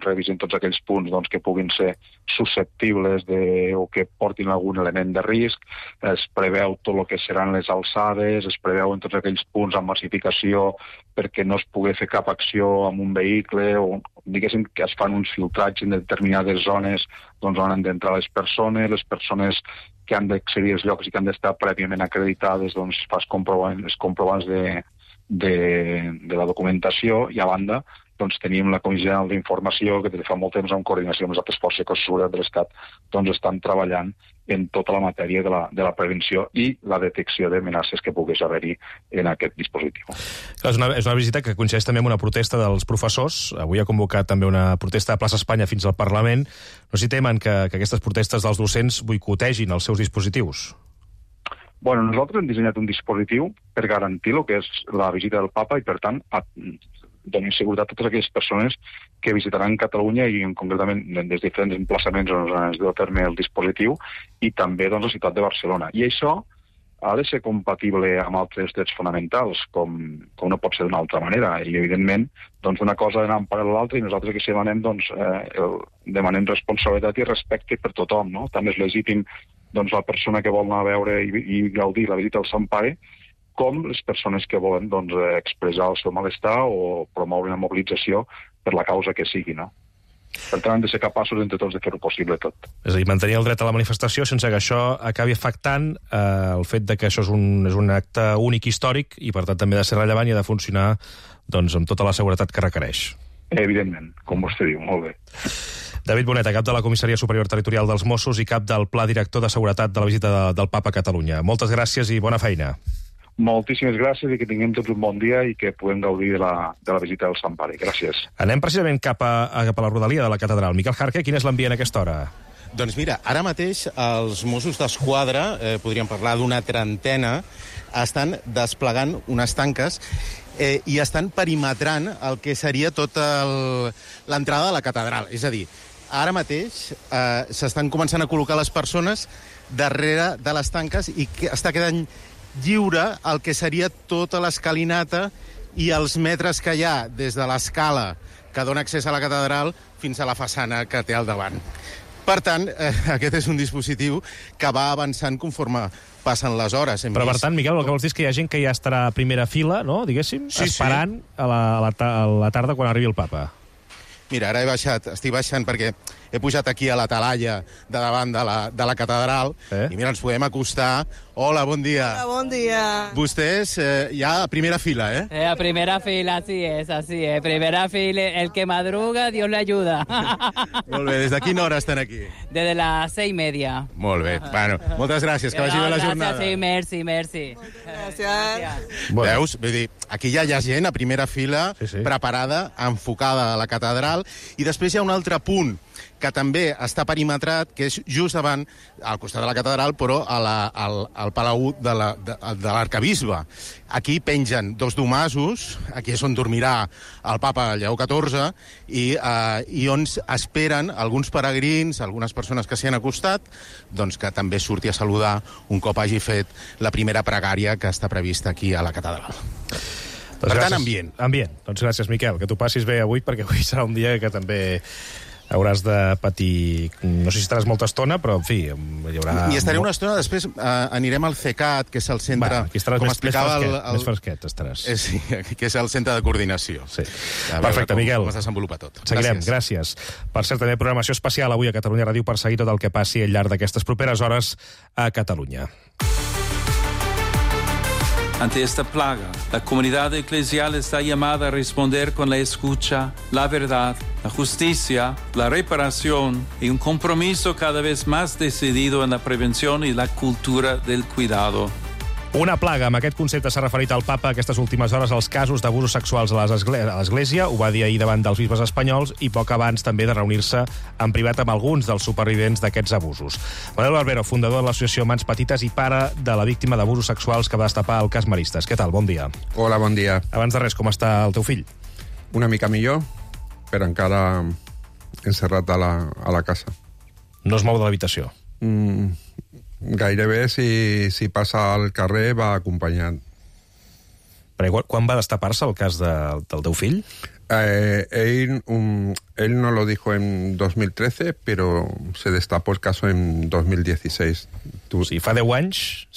revisen tots aquells punts doncs, que puguin ser susceptibles o que portin algun element de risc, es preveu tot el que seran les alçades, es preveuen tots aquells punts amb massificació perquè no es pugui fer cap acció amb un vehicle, o diguéssim que es fan uns filtratges en determinades zones doncs, on han d'entrar les persones que han d'accedir als llocs i que han d'estar prèviament acreditades, doncs fas comprovants de la documentació, i a banda doncs tenim la Comissió General d'Informació que des de fa molt temps en coordinació amb les altres forces de seguretat de l'Estat doncs estan treballant en tota la matèria de la prevenció i la detecció d'amenaces que pogués haver-hi en aquest dispositiu. És una visita que coincideix també amb una protesta dels professors. Avui ha convocat també una protesta a Plaça Espanya fins al Parlament. No s'hi temen que aquestes protestes dels docents boicotegin els seus dispositius? Bueno, nosaltres hem dissenyat un dispositiu per garantir el que és la visita del papa i, per tant, donin seguretat a totes aquelles persones que visitaran Catalunya i concretament des de diferents emplaçaments on es deu a terme el dispositiu i també doncs, la ciutat de Barcelona. I això ha de ser compatible amb altres drets fonamentals, com no pot ser d'una altra manera. I, evidentment, doncs, una cosa d'anar en paral·lel a l'altra i nosaltres que demanem, demanem responsabilitat i respecte per tothom, no? També és legítim doncs, la persona que vol anar a veure i gaudir la visita al Sant Pare, com les persones que volen doncs, expressar el seu malestar o promoure una mobilització per la causa que sigui, no? Per tant, hem de ser capaços entre tots de fer-ho possible tot. És a dir, mantenir el dret a la manifestació sense que això acabi afectant el fet de que això és un acte únic històric i, per tant, també ha de ser rellevant i ha de funcionar doncs, amb tota la seguretat que requereix. Evidentment, com vostè diu, molt bé. David Boneta, cap de la Comissaria Superior Territorial dels Mossos i cap del Pla Director de Seguretat de la visita del Papa a Catalunya. Moltes gràcies i bona feina. Moltíssimes gràcies i que tinguem tots un bon dia i que puguem gaudir de la visita del Sant Pare. Gràcies. Anem precisament cap a la rodalia de la catedral. Miquel Jarque, quin és l'ambient a aquesta hora? Doncs mira, ara mateix els Mossos d'Esquadra, podríem parlar d'una trentena, estan desplegant unes tanques i estan perimetrant el que seria tota l'entrada de la catedral. És a dir, ara mateix s'estan començant a col·locar les persones darrere de les tanques i està quedant lliure el que seria tota l'escalinata i els metres que hi ha des de l'escala que dona accés a la catedral fins a la façana que té al davant. Per tant, aquest és un dispositiu que va avançant conforme passen les hores. Però, per tant, Miquel, el que vols dir és que hi ha gent que ja estarà a primera fila, no?, diguéssim, sí, esperant sí. a la tarda quan arribi el Papa. Mira, ara estic baixant perquè he pujat aquí a la talaia de davant de la catedral i mira, ens podem acostar. Hola, bon dia. Hola, bon dia. Vostès ja a primera fila, A primera fila, así es. Primera fila, el que madruga, Dios le ayuda. Molt bé, des de quina hora estan aquí? Desde las 6:30. Molt bé, bueno, moltes gràcies, que vagi bé la jornada. Gràcies, sí, merci. Gràcies. Veus? Vull dir, aquí ja hi ha gent a primera fila, preparada, enfocada a la catedral, i després hi ha un altre punt que també està perimetrat, que és just davant, al costat de la catedral, però al Palau de l'Arcabisbe. Aquí pengen 2 domasos, aquí és on dormirà el Papa Lleó XIV, i on esperen alguns peregrins, algunes persones que s'hi han acostat, doncs que també surti a saludar un cop hagi fet la primera pregària que està prevista aquí a la catedral. Per tant, ambient. Ambient. Doncs gràcies, Miquel. Que tu passis bé avui, perquè avui serà un dia que també hauràs de patir... No sé si estaràs molta estona, però, en fi, hi haurà... I estaré una estona, després anirem al CECAT, que és el centre... Va, aquí estaràs més fresquet, estaràs. Sí, que és el centre de coordinació. Sí. Perfecte, Miquel. Com es desenvolupa tot. Seguirem, gràcies. Per cert, també programació especial avui a Catalunya Ràdio per seguir tot el que passi al llarg d'aquestes properes hores a Catalunya. Ante esta plaga, la comunidad eclesial está llamada a responder con la escucha, la verdad, la justicia, la reparación y un compromiso cada vez más decidido en la prevención y la cultura del cuidado. Una plaga. Amb aquest concepte s'ha referit el Papa aquestes últimes hores als casos d'abusos sexuals a l'Església. Ho va dir ahir davant dels bisbes espanyols i poc abans també de reunir-se en privat amb alguns dels supervivents d'aquests abusos. Manuel Barbero, fundador de l'associació Mans Petites i pare de la víctima d'abusos sexuals que va destapar el cas Maristes. Què tal? Bon dia. Hola, bon dia. Abans de res, com està el teu fill? Una mica millor, però encara encerrat a la casa. No es mou de l'habitació? Gairebé, si passa al carrer, va acompanyant. Però quan va destapar-se el cas del teu fill? Él no lo dijo en 2013, pero se destapó el caso en 2016. O sigui, fa 10 anys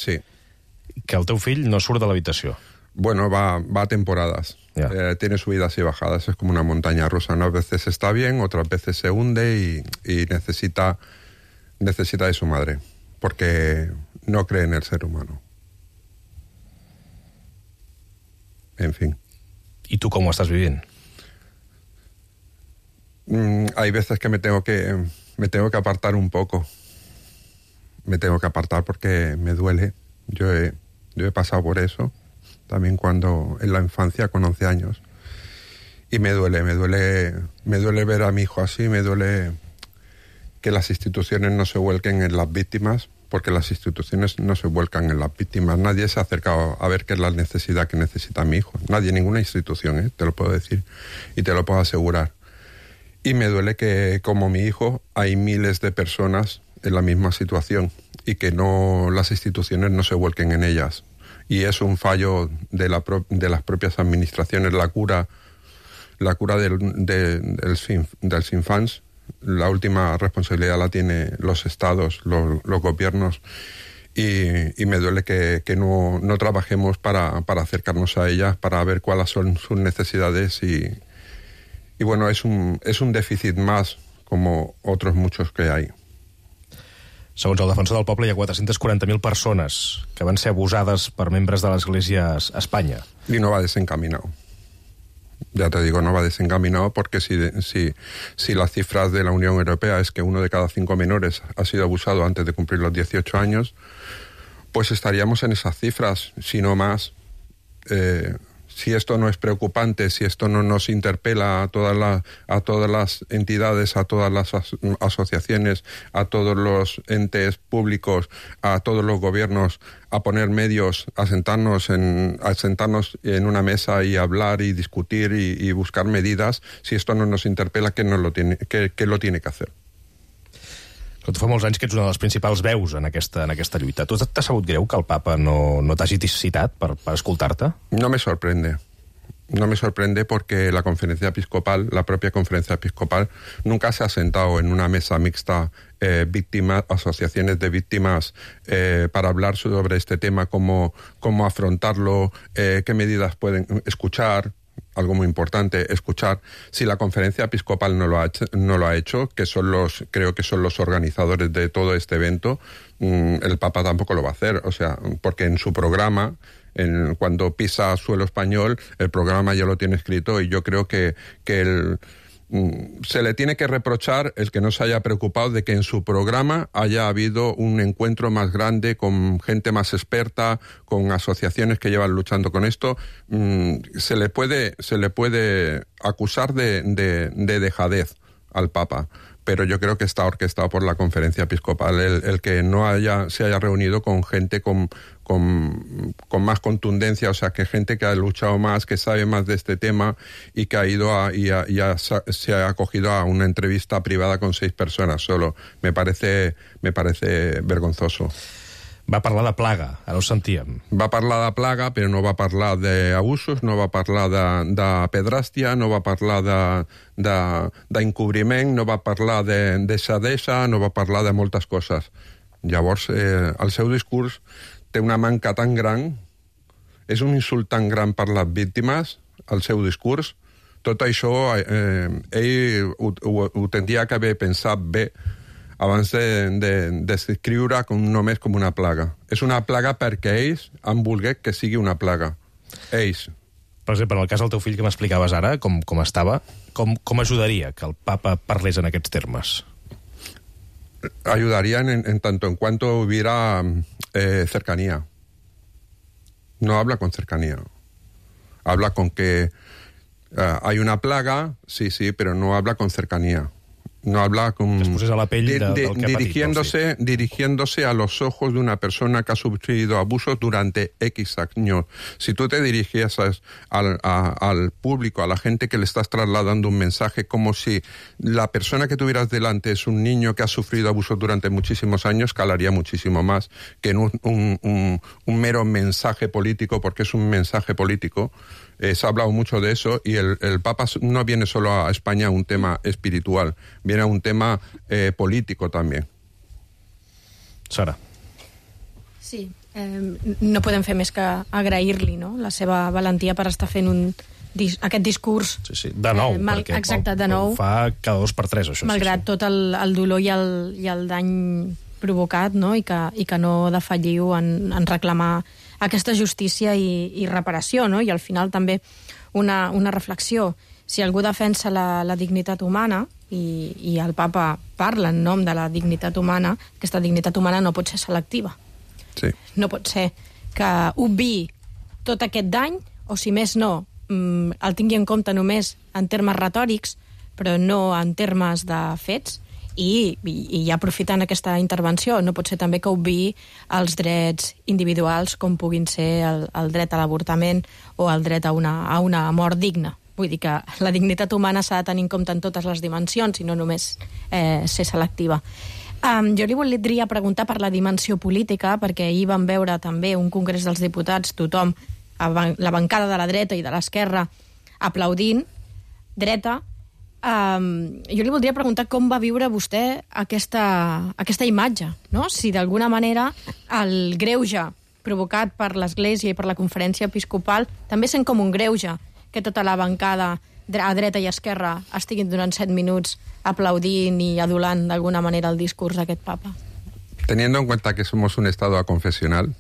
que el teu fill no surt de l'habitació. Bueno, va a temporadas. Tiene subidas y bajadas, es como una montaña rusa. Unas veces está bien, otras veces se hunde y necesita de su madre, porque no cree en el ser humano. En fin. ¿Y tú cómo estás viviendo? Hay veces que me tengo que apartar un poco. Me tengo que apartar porque me duele. Yo he pasado por eso, también cuando en la infancia, con 11 años. Y me duele ver a mi hijo así, me duele que las instituciones no se vuelquen en las víctimas, porque las instituciones no se vuelcan en las víctimas. Nadie se ha acercado a ver qué es la necesidad que necesita mi hijo. Nadie, ninguna institución, te lo puedo decir y te lo puedo asegurar. Y me duele que, como mi hijo, hay miles de personas en la misma situación y que las instituciones no se vuelquen en ellas. Y es un fallo de las propias administraciones. La cura dels infants, la última responsabilidad la tienen los estados, los gobiernos, y me duele que no trabajemos para acercarnos a ellas, para ver cuáles son sus necesidades y bueno, es un déficit más, como otros muchos que hay. Segons el defensor del poble, hi ha 440.000 persones que van ser abusades per membres de l'Església a Espanya. Y no va desencaminado. Ya te digo, no va desencaminado porque si las cifras de la Unión Europea es que 1 de cada 5 menores ha sido abusado antes de cumplir los 18 años, pues estaríamos en esas cifras, si no más. Si esto no es preocupante, si esto no nos interpela a todas las entidades, a todas las asociaciones, a todos los entes públicos, a todos los gobiernos, a poner medios, a sentarnos en una mesa y hablar y discutir y buscar medidas, si esto no nos interpela, ¿qué lo tiene que hacer? Tu fa molts anys que ets una de les principals veus en aquesta lluita. Tu t'ha sabut greu que el papa no t'hagi citat per escoltar-te? No me sorprende. No me sorprende porque la propia conferencia episcopal, nunca se ha sentado en una mesa mixta asociaciones de víctimas para hablar sobre este tema, cómo afrontarlo, qué medidas pueden escuchar. Algo muy importante, escuchar. Si la conferencia episcopal no lo ha hecho, que creo que son los organizadores de todo este evento, el Papa tampoco lo va a hacer, o sea, porque en su programa, cuando pisa suelo español, el programa ya lo tiene escrito y yo creo que se le tiene que reprochar el que no se haya preocupado de que en su programa haya habido un encuentro más grande con gente más experta, con asociaciones que llevan luchando con esto. Se le puede acusar de dejadez al Papa, pero yo creo que está orquestado por la conferencia episcopal el que se haya reunido con gente con más contundencia, o sea, que gente que ha luchado más, que sabe más de este tema y que ha ido se ha acogido a una entrevista privada con 6 personas solo. Me parece vergonzoso. Va parlar de plaga, ara ho sentíem. Va parlar de plaga, però no va parlar d'abusos, no va parlar de pedràstia, no va parlar d'encobriment, no va parlar de deixadesa, no va parlar de moltes coses. Llavors, el seu discurs té una manca tan gran, és un insult tan gran per les víctimes, el seu discurs. Tot això ell ho tindria que haver pensat bé abans de descriure només com una plaga. És una plaga perquè ells han volgut que sigui una plaga. Ells. Per exemple, en el cas del teu fill que m'explicaves ara, com estava, com ajudaria que el papa parlés en aquests termes? Ayudarían en tanto en cuanto hubiera cercanía. No habla con cercanía. Habla con que hay una plaga, sí, pero no habla con cercanía. No habla con... Que es poses a la pell del que ha patit, dirigiéndose a los ojos de una persona que ha sufrido abusos durante X años. Si tú te dirigieses al público, a la gente que le estás trasladando un mensaje, como si la persona que tuvieras delante es un niño que ha sufrido abusos durante muchísimos años, calaría muchísimo más que en un mero mensaje político, porque es un mensaje político. Se ha hablado mucho de eso y el Papa no viene solo a España a un tema espiritual, viene a un tema político también. Sara. Sí, no podem fer més que agrair-li, no?, la seva valentia per estar fent aquest discurs. Sí, de nou, perquè exacte, de nou, fa cada 2 per 3, això. Malgrat tot el dolor i el dany provocat, no?, i que no defalliu en reclamar aquesta justícia i reparació, no? I al final també una reflexió. Si algú defensa la dignitat humana, i el papa parla en nom de la dignitat humana, aquesta dignitat humana no pot ser selectiva. Sí. No pot ser que obviï tot aquest dany, o si més no, el tingui en compte només en termes retòrics, però no en termes de fets, I ja aprofitant aquesta intervenció, no pot ser també que obviï els drets individuals com puguin ser el dret a l'avortament o el dret a una mort digna. Vull dir que la dignitat humana s'ha de tenir en compte en totes les dimensions i no només ser selectiva. Jo li voldria preguntar per la dimensió política, perquè ahir vam veure també un congrés dels diputats, tothom, la bancada de la dreta i de l'esquerra, aplaudint, dreta. Jo li voldria preguntar com va viure vostè aquesta imatge, no? Si d'alguna manera el greuge provocat per l'Església i per la Conferència Episcopal també sent com un greuge que tota la bancada a dreta i esquerra estiguin durant 7 minuts aplaudint i adulant d'alguna manera el discurs d'aquest papa. Teniendo en cuenta que somos un estado aconfesional,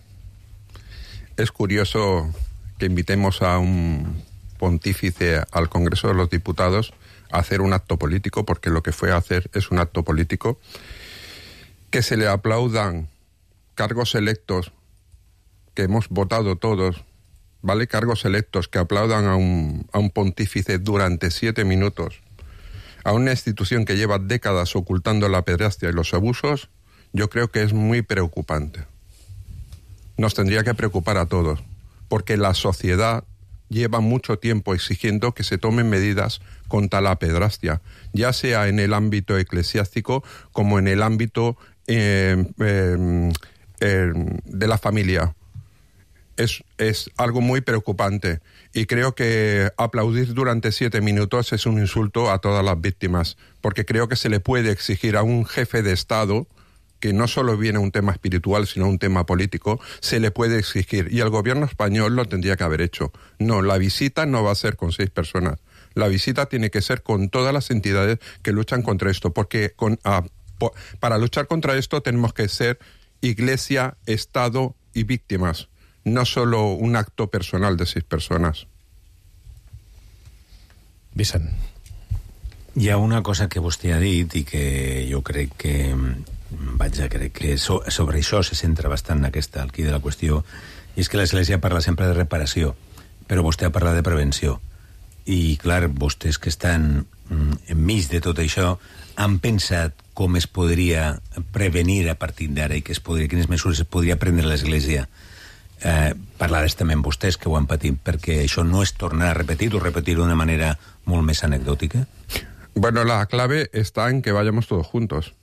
es curioso que invitemos a un pontífice al Congreso de los Diputados a hacer un acto político, porque lo que fue a hacer es un acto político, que se le aplaudan cargos electos que hemos votado todos, ¿vale? Cargos electos que aplaudan a un pontífice durante 7 minutos, a una institución que lleva décadas ocultando la pederastia y los abusos, yo creo que es muy preocupante. Nos tendría que preocupar a todos, porque la sociedad lleva mucho tiempo exigiendo que se tomen medidas contra la pederastia, ya sea en el ámbito eclesiástico como en el ámbito de la familia. Es algo muy preocupante y creo que aplaudir durante 7 minutos es un insulto a todas las víctimas, porque creo que se le puede exigir a un jefe de Estado, que no solo viene un tema espiritual, sino un tema político, se le puede exigir. Y el gobierno español lo tendría que haber hecho. No, la visita no va a ser con 6 personas. La visita tiene que ser con todas las entidades que luchan contra esto, porque para luchar contra esto tenemos que ser Iglesia, Estado y víctimas, no solo un acto personal de 6 personas. Vicent. Hi ha una cosa que vostè ha dit i que jo crec que crec que sobre això se centra bastant el quid de la qüestió, i és que l'Església parla sempre de reparació, però vostè ha parlat de prevenció. I, clar, vostès que estan enmig de tot això han pensat com es podria prevenir a partir d'ara i quines mesures es podria prendre l'Església. Parlaràs també amb vostès que ho han patit, perquè això no es tornarà a repetir o repetir-ho d'una manera molt més anecdòtica? Bueno, la clave está en que vayamos todos juntos.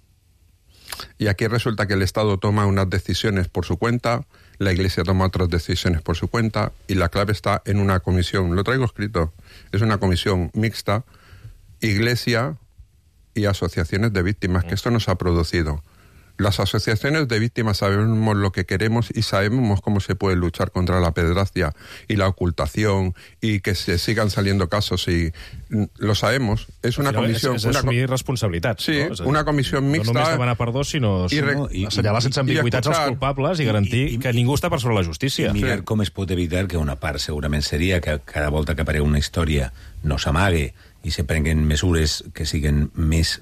Y aquí resulta que el Estado toma unas decisiones por su cuenta, la Iglesia toma otras decisiones por su cuenta, y la clave está en una comisión. Lo traigo escrito. Es una comisión mixta, Iglesia y asociaciones de víctimas, que esto nos ha producido. Las asociaciones de víctimas sabemos lo que queremos y sabemos cómo se puede luchar contra la pederastia y la ocultación y que se sigan saliendo casos, y lo sabemos. Es una comisión... És assumir responsabilitats. Sí, no? Una comissió mixta... No només demanar perdó, sinó assenyalar sense ambigüitats als culpables i garantir que ningú està per sobre la justícia. I mirar com es pot evitar que una part segurament seria que cada volta que apareix una història no s'amague i se prenguen mesures que siguin més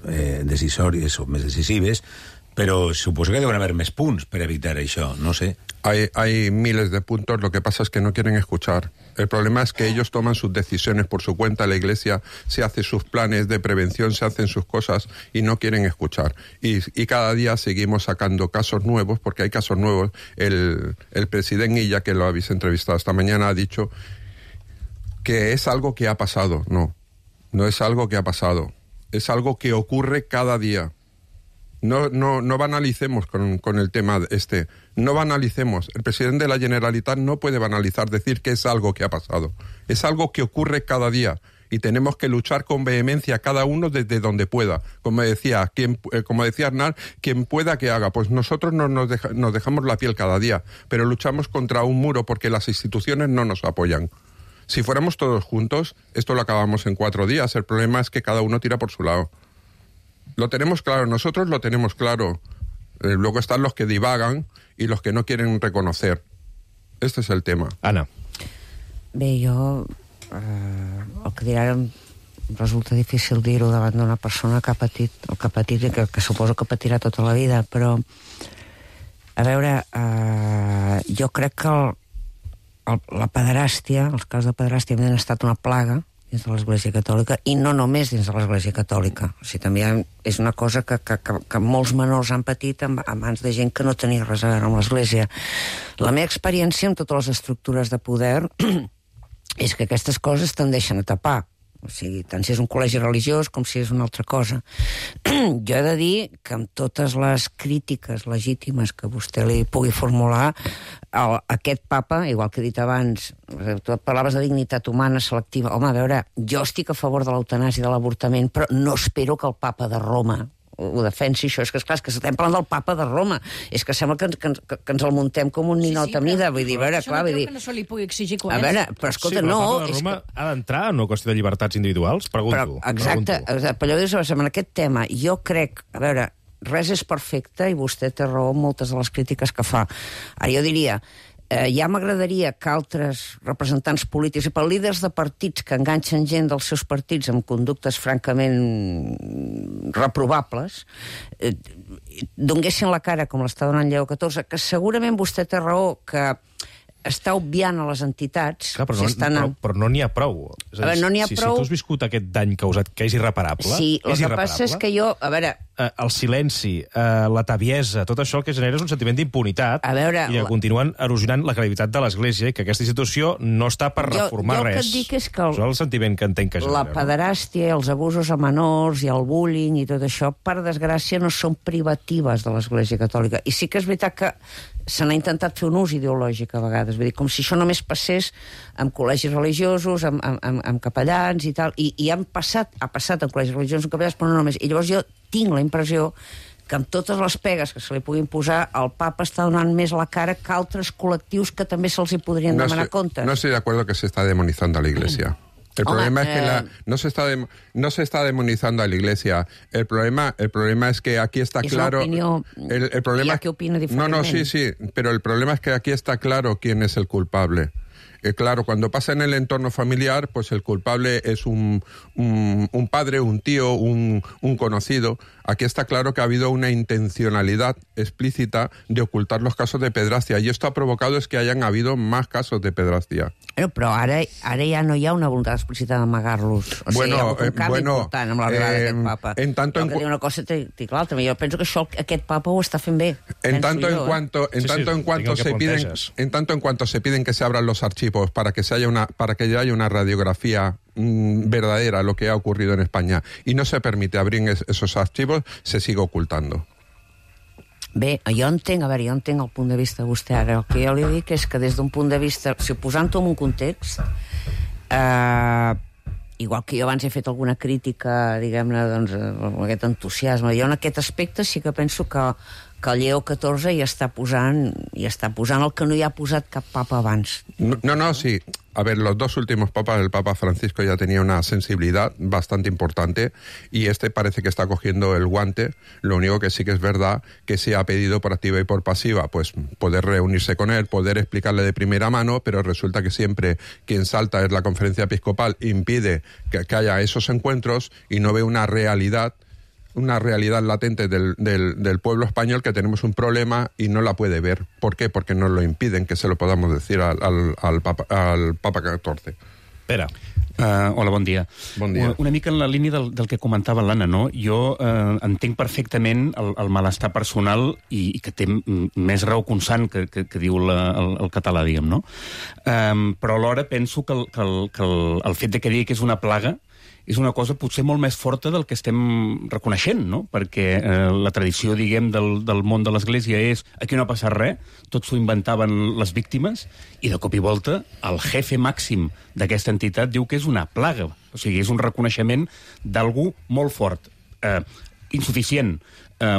decisòries o més decisives, pero supongo que deben haber más puntos para evitar eso, no sé. Hay miles de puntos, lo que pasa es que no quieren escuchar. El problema es que ellos toman sus decisiones por su cuenta, la Iglesia se hace sus planes de prevención, se hacen sus cosas y no quieren escuchar. Y cada día seguimos sacando casos nuevos, porque hay casos nuevos. El presidente Illa, que lo habéis entrevistado esta mañana, ha dicho que es algo que ha pasado. No es algo que ha pasado. Es algo que ocurre cada día. No banalicemos con el tema este. No banalicemos. El presidente de la Generalitat no puede banalizar, decir que es algo que ha pasado. Es algo que ocurre cada día y tenemos que luchar con vehemencia cada uno desde donde pueda. Como decía Arnal, quien pueda que haga. Pues nosotros nos dejamos la piel cada día, pero luchamos contra un muro porque las instituciones no nos apoyan. Si fuéramos todos juntos, esto lo acabamos en 4 días. El problema es que cada uno tira por su lado. Lo tenemos claro, nosotros lo tenemos claro. Luego están los que divagan y los que no quieren reconocer. Este es el tema. Anna. Bé, jo... el que dirà em resulta difícil dir-ho davant d'una persona que ha patit el que ha patit i que suposo que patirà tota la vida, però a veure, jo crec que la pederàstia, els casos de pederàstia han estat una plaga dins de l'Església Catòlica, i no només dins de l'Església Catòlica. O sigui, també és una cosa que molts menors han patit a mans de gent que no tenia res a veure amb l'Església. La meva experiència amb totes les estructures de poder és que aquestes coses tendeixen a tapar. O sigui, tant si és un col·legi religiós com si és una altra cosa. Jo he de dir que amb totes les crítiques legítimes que vostè li pugui formular, aquest papa, igual que he dit abans, tu parlaves de dignitat humana selectiva. Home, a veure, jo estic a favor de l'eutanàsia i de l'avortament, però no espero que el papa de Roma ho defensi, això. És que, esclar, és que estem parlant del papa de Roma. És que sembla que ens el muntem com un ninot a mida. Vull dir, a veure, clar, vull dir... Això no creu que no se li pugui exigir a veure, però escolta, no... Sí, però el papa de Roma ha d'entrar en una qüestió de llibertats individuals? Pregunto. Exacte, però allò dius, en aquest tema, jo crec, a veure, res és perfecte i vostè té raó en moltes de les crítiques que fa. Ara, jo diria... ja m'agradaria que altres representants polítics, per líders de partits que enganxen gent dels seus partits amb conductes francament reprovables, donguessin la cara com l'està donant Lleó XIV, que segurament vostè té raó que està obviant a les entitats... Clar, però no n'hi ha prou. És a dir, no n'hi ha prou... Si tu has viscut aquest dany causat, que és irreparable... Sí, el que passa és que jo... A veure... El silenci, la tabiesa, tot això el que genera és un sentiment d'impunitat i que continuen erosionant la credibilitat de l'Església i que aquesta institució no està per reformar res. Jo el que et dic és que... Això és el sentiment que entenc que genera. La pederàstia, els abusos a menors i el bullying i tot això, per desgràcia, no són privatives de l'Església Catòlica. I sí que és veritat que se n'ha intentat fer un ús ideològic a vegades, vull dir, com si això només passés amb col·legis religiosos, amb capellans i tal, i ha passat en col·legis religiosos, amb capellans, però no només. I llavors jo tinc la impressió que amb totes les pegues que se li puguin posar, el papa està donant més la cara que altres col·lectius que també se'ls hi podrien demanar comptes. No estoy de acuerdo que se está demonizando a la Iglesia. El problema es que no se está demonizando a la Iglesia. El problema es que aquí está claro... El problema es que opina diferentemente. Sí, pero el problema es que aquí está claro quién es el culpable. Claro, cuando pasa en el entorno familiar, pues el culpable es un padre, un tío, un conocido. Aquí está claro que ha habido una intencionalidad explícita de ocultar los casos de pederastia, y esto ha provocado es que hayan habido más casos de pederastia. Però ara ja no hi ha una voluntat explícita d'amagar-los. O sigui, hi ha un canvi important amb l'arribada d'aquest papa. Però que diu una cosa i l'altra. Jo penso que això aquest papa ho està fent bé. En tanto en cuanto se piden que se abran los archivos para que haya una radiografía verdadera lo que ha ocurrido en España y no se permite abrir esos archivos, se sigue ocultando. Bé, jo entenc el punt de vista de vostè ara. El que jo li dic és que des d'un punt de vista, si posant-ho en un context, igual que jo abans he fet alguna crítica, diguem-ne, doncs, amb aquest entusiasme, jo en aquest aspecte sí que penso que el Lleó XIV ja està posant el que no hi ha posat cap papa abans. No, sí. A ver, los dos últimos papas, el Papa Francisco ya tenía una sensibilidad bastante importante y este parece que está cogiendo el guante. Lo único que sí que es verdad que se ha pedido por activa y por pasiva, pues poder reunirse con él, poder explicarle de primera mano, pero resulta que siempre quien salta es la Conferencia Episcopal, impide que haya esos encuentros y no ve una realidad latente del pueblo español, que tenemos un problema y no la puede ver. ¿Por qué? Porque nos lo impiden que se lo podamos decir al Papa XIV. Pere. Hola, bon dia. Bon dia. Una mica en la línia del que comentava l'Anna, no? Jo entenc perfectament el malestar personal i que té més raó constant que diu el català, diguem, no? Però alhora penso que el fet de que digui que és una plaga és una cosa potser molt més forta del que estem reconeixent, no? Perquè la tradició, diguem, del món de l'Església és aquí no ha passat res, tot s'ho inventaven les víctimes, i de cop i volta el jefe màxim d'aquesta entitat diu que és una plaga. O sigui, és un reconeixement d'algú molt fort. Insuficient.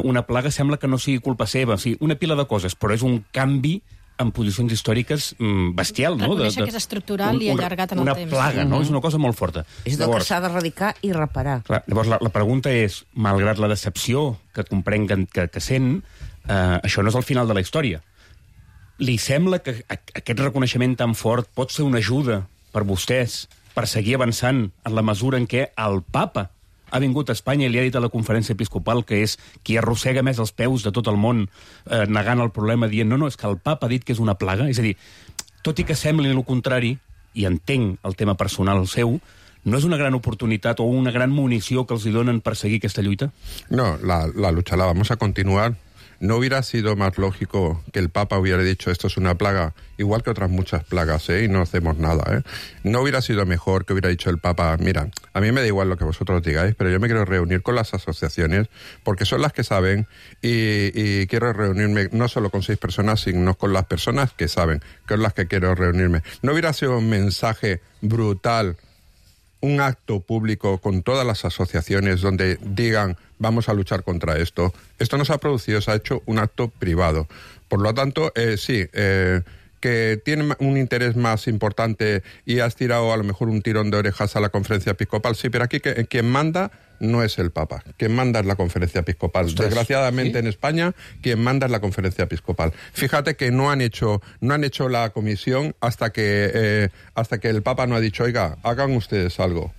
Una plaga sembla que no sigui culpa seva. O sigui, una pila de coses, però és un canvi en posicions històriques bestial, no? Reconèixer que és estructural i allargat en el temps. Una plaga, no? És una cosa molt forta. És del que s'ha d'erradicar i reparar. Clar, llavors, la pregunta és, malgrat la decepció que comprenc que sent, això no és el final de la història. Li sembla que aquest reconeixement tan fort pot ser una ajuda per vostès per seguir avançant en la mesura en què el papa ha vingut a Espanya i li ha dit a la Conferència Episcopal que és qui arrossega més els peus de tot el món negant el problema, dient no, és que el papa ha dit que és una plaga. És a dir, tot i que sembli el contrari, i entenc el tema personal seu, no és una gran oportunitat o una gran munició que els hi donen per seguir aquesta lluita? No, la lucha la vamos a continuar. ¿No hubiera sido más lógico que el Papa hubiera dicho esto es una plaga, igual que otras muchas plagas, y no hacemos nada? ¿No hubiera sido mejor que hubiera dicho el Papa, mira, a mí me da igual lo que vosotros digáis, pero yo me quiero reunir con las asociaciones porque son las que saben y quiero reunirme no solo con 6 personas, sino con las personas que saben, que son las que quiero reunirme? ¿No hubiera sido un mensaje brutal, un acto público con todas las asociaciones donde digan vamos a luchar contra esto? Esto no se ha producido, se ha hecho un acto privado. Por lo tanto, que tiene un interés más importante y has tirado a lo mejor un tirón de orejas a la conferencia episcopal, sí, pero aquí quien manda no es el Papa, quien manda es la conferencia episcopal. Ostras, desgraciadamente, ¿sí? En España, quien manda es la conferencia episcopal. Fíjate que no han hecho la comisión hasta que el Papa no ha dicho, oiga, hagan ustedes algo.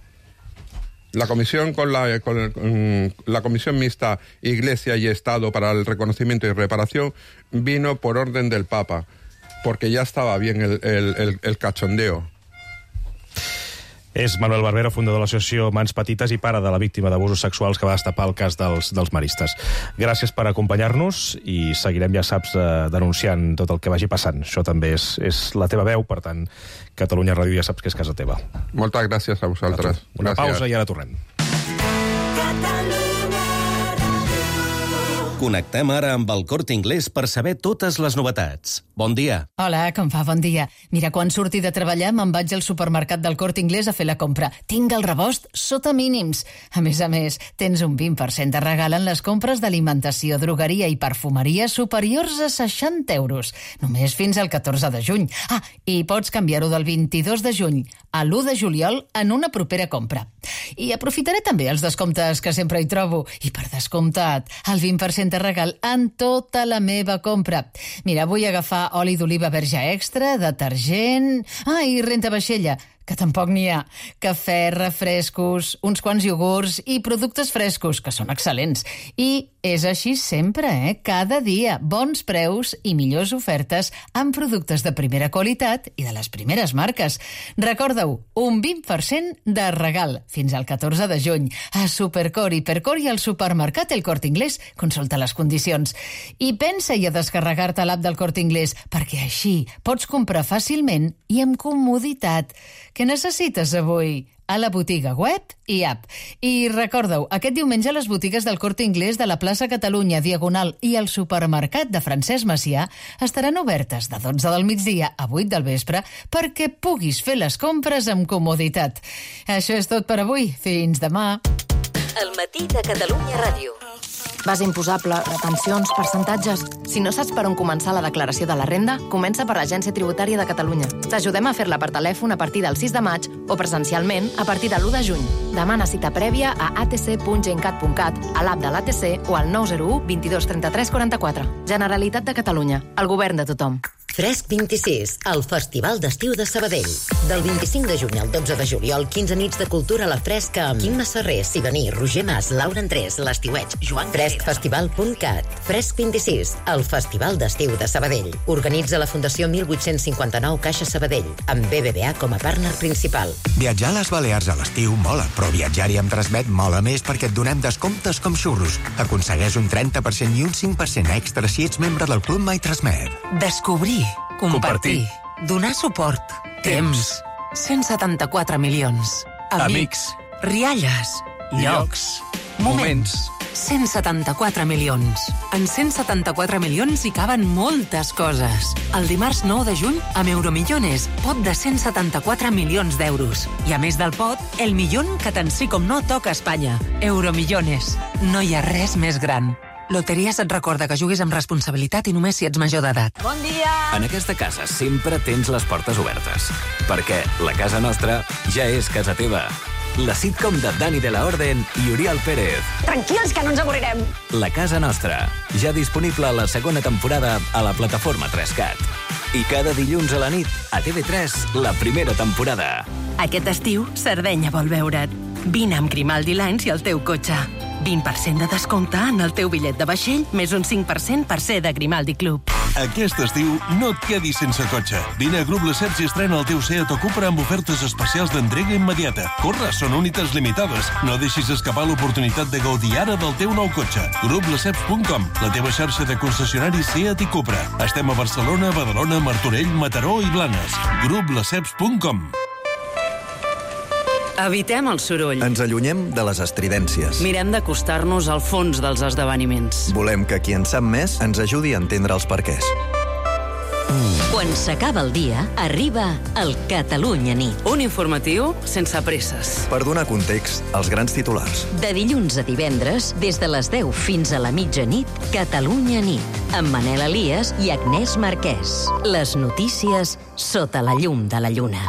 La comisión la comisión mixta Iglesia y Estado para el reconocimiento y reparación vino por orden del Papa, porque ya estaba bien el cachondeo. És Manuel Barbero, fundador de l'associació Mans Petites i pare de la víctima d'abusos sexuals que va destapar el cas dels maristes. Gràcies per acompanyar-nos i seguirem, ja saps, denunciant tot el que vagi passant. Això també és la teva veu, per tant, Catalunya Ràdio ja saps que és casa teva. Moltes gràcies a vosaltres. Una pausa i ara tornem. Connectem ara amb el Corte Inglés per saber totes les novetats. Bon dia. Hola, com va? Bon dia. Mira, quan surti de treballar me'n vaig al supermercat del Corte Inglés a fer la compra. Tinc el rebost sota mínims. A més, tens un 20% de regal en les compres d'alimentació, drogueria i perfumeria superiors a 60 euros. Només fins al 14 de juny. I pots canviar-ho del 22 de juny a l'1 de juliol en una propera compra. I aprofitaré també els descomptes que sempre hi trobo. I per descomptat, el 20% de regal en tota la meva compra. Mira, vull agafar oli d'oliva verge extra, detergent... i renta vaixella, que tampoc n'hi ha. Cafè, refrescos, uns quants iogurts i productes frescos, que són excel·lents. I és així sempre, cada dia. Bons preus i millors ofertes amb productes de primera qualitat i de les primeres marques. Recorda-ho, un 20% de regal fins al 14 de juny. A Supercor, Hipercor i al supermercat El Corte Inglés. Consulta les condicions. I pensa-hi a descarregar-te l'app del Corte Inglés, perquè així pots comprar fàcilment i amb comoditat. Què necessites avui? A la botiga web i app. I recorda-ho, aquest diumenge les botigues del Corte Inglés de la plaça Catalunya, Diagonal i el supermercat de Francesc Macià estaran obertes de 12 del migdia a 8 del vespre perquè puguis fer les compres amb comoditat. Això és tot per avui. Fins demà. El matí de Catalunya Ràdio. Base imposable, retencions, percentatges... Si no saps per on començar la declaració de la renda, comença per l'Agència Tributària de Catalunya. T'ajudem a fer-la per telèfon a partir del 6 de maig o presencialment a partir de l'1 de juny. Demana cita prèvia a atc.gencat.cat, a l'app de l'ATC o al 901 22 33 44. Generalitat de Catalunya, el govern de tothom. Fresc 26, el Festival d'Estiu de Sabadell. Del 25 de juny al 12 de juliol, 15 nits de cultura a la fresca amb Quim Masserrer, Siganí, Roger Mas, Laura Andrés, l'Estiueig, Joan Freskfestival.cat. Fresc 26, el Festival d'Estiu de Sabadell. Organitza la Fundació 1859 Caixa Sabadell, amb BBVA com a partner principal. Viatjar a les Balears a l'estiu mola, però viatjar-hi amb Transmet mola més perquè et donem descomptes com xurros. Aconsegueix un 30% i un 5% extra si ets membre del Club My Transmet. Descobrir, compartir, donar suport, temps, 174 milions, amics, rialles, llocs, moments, 174 milions. En 174 milions hi caben moltes coses. El dimarts 9 de juny, amb Euromillones, pot de 174 milions d'euros. I a més del pot, el millón que tant sí com no toca a Espanya. Euromillones. No hi ha res més gran. Loteries et recorda que juguis amb responsabilitat i només si ets major d'edat. Bon dia! En aquesta casa sempre tens les portes obertes, perquè la casa nostra ja és casa teva. La sitcom de Dani de la Orden i Oriol Pérez. Tranquils, que no ens avorrirem. La casa nostra, ja disponible a la segona temporada a la plataforma 3CAT. I cada dilluns a la nit, a TV3, la primera temporada. Aquest estiu, Sardenya vol veure't. Vine amb Grimaldi Lines i el teu cotxe. 20% de descompte en el teu bitllet de vaixell, més un 5% per ser de Grimaldi Club. Aquest estiu no et quedis sense cotxe. Vine a Grup Lesseps i estrena el teu Seat o Cupra amb ofertes especials d'entrega immediata. Corre, són unitats limitades. No deixis escapar l'oportunitat de gaudir ara del teu nou cotxe. GrupLesseps.com, la teva xarxa de concessionaris Seat i Cupra. Estem a Barcelona, Badalona, Martorell, Mataró i Blanes. GrupLesseps.com. Evitem el soroll. Ens allunyem de les estridències. Mirem d'acostar-nos al fons dels esdeveniments. Volem que qui en sap més ens ajudi a entendre els perquès. Quan s'acaba el dia, arriba el Catalunya Nit. Un informatiu sense presses. Per donar context als grans titulars. De dilluns a divendres, des de les 10 fins a la mitjanit, Catalunya Nit, amb Manel Elias i Agnès Marquès. Les notícies sota la llum de la lluna.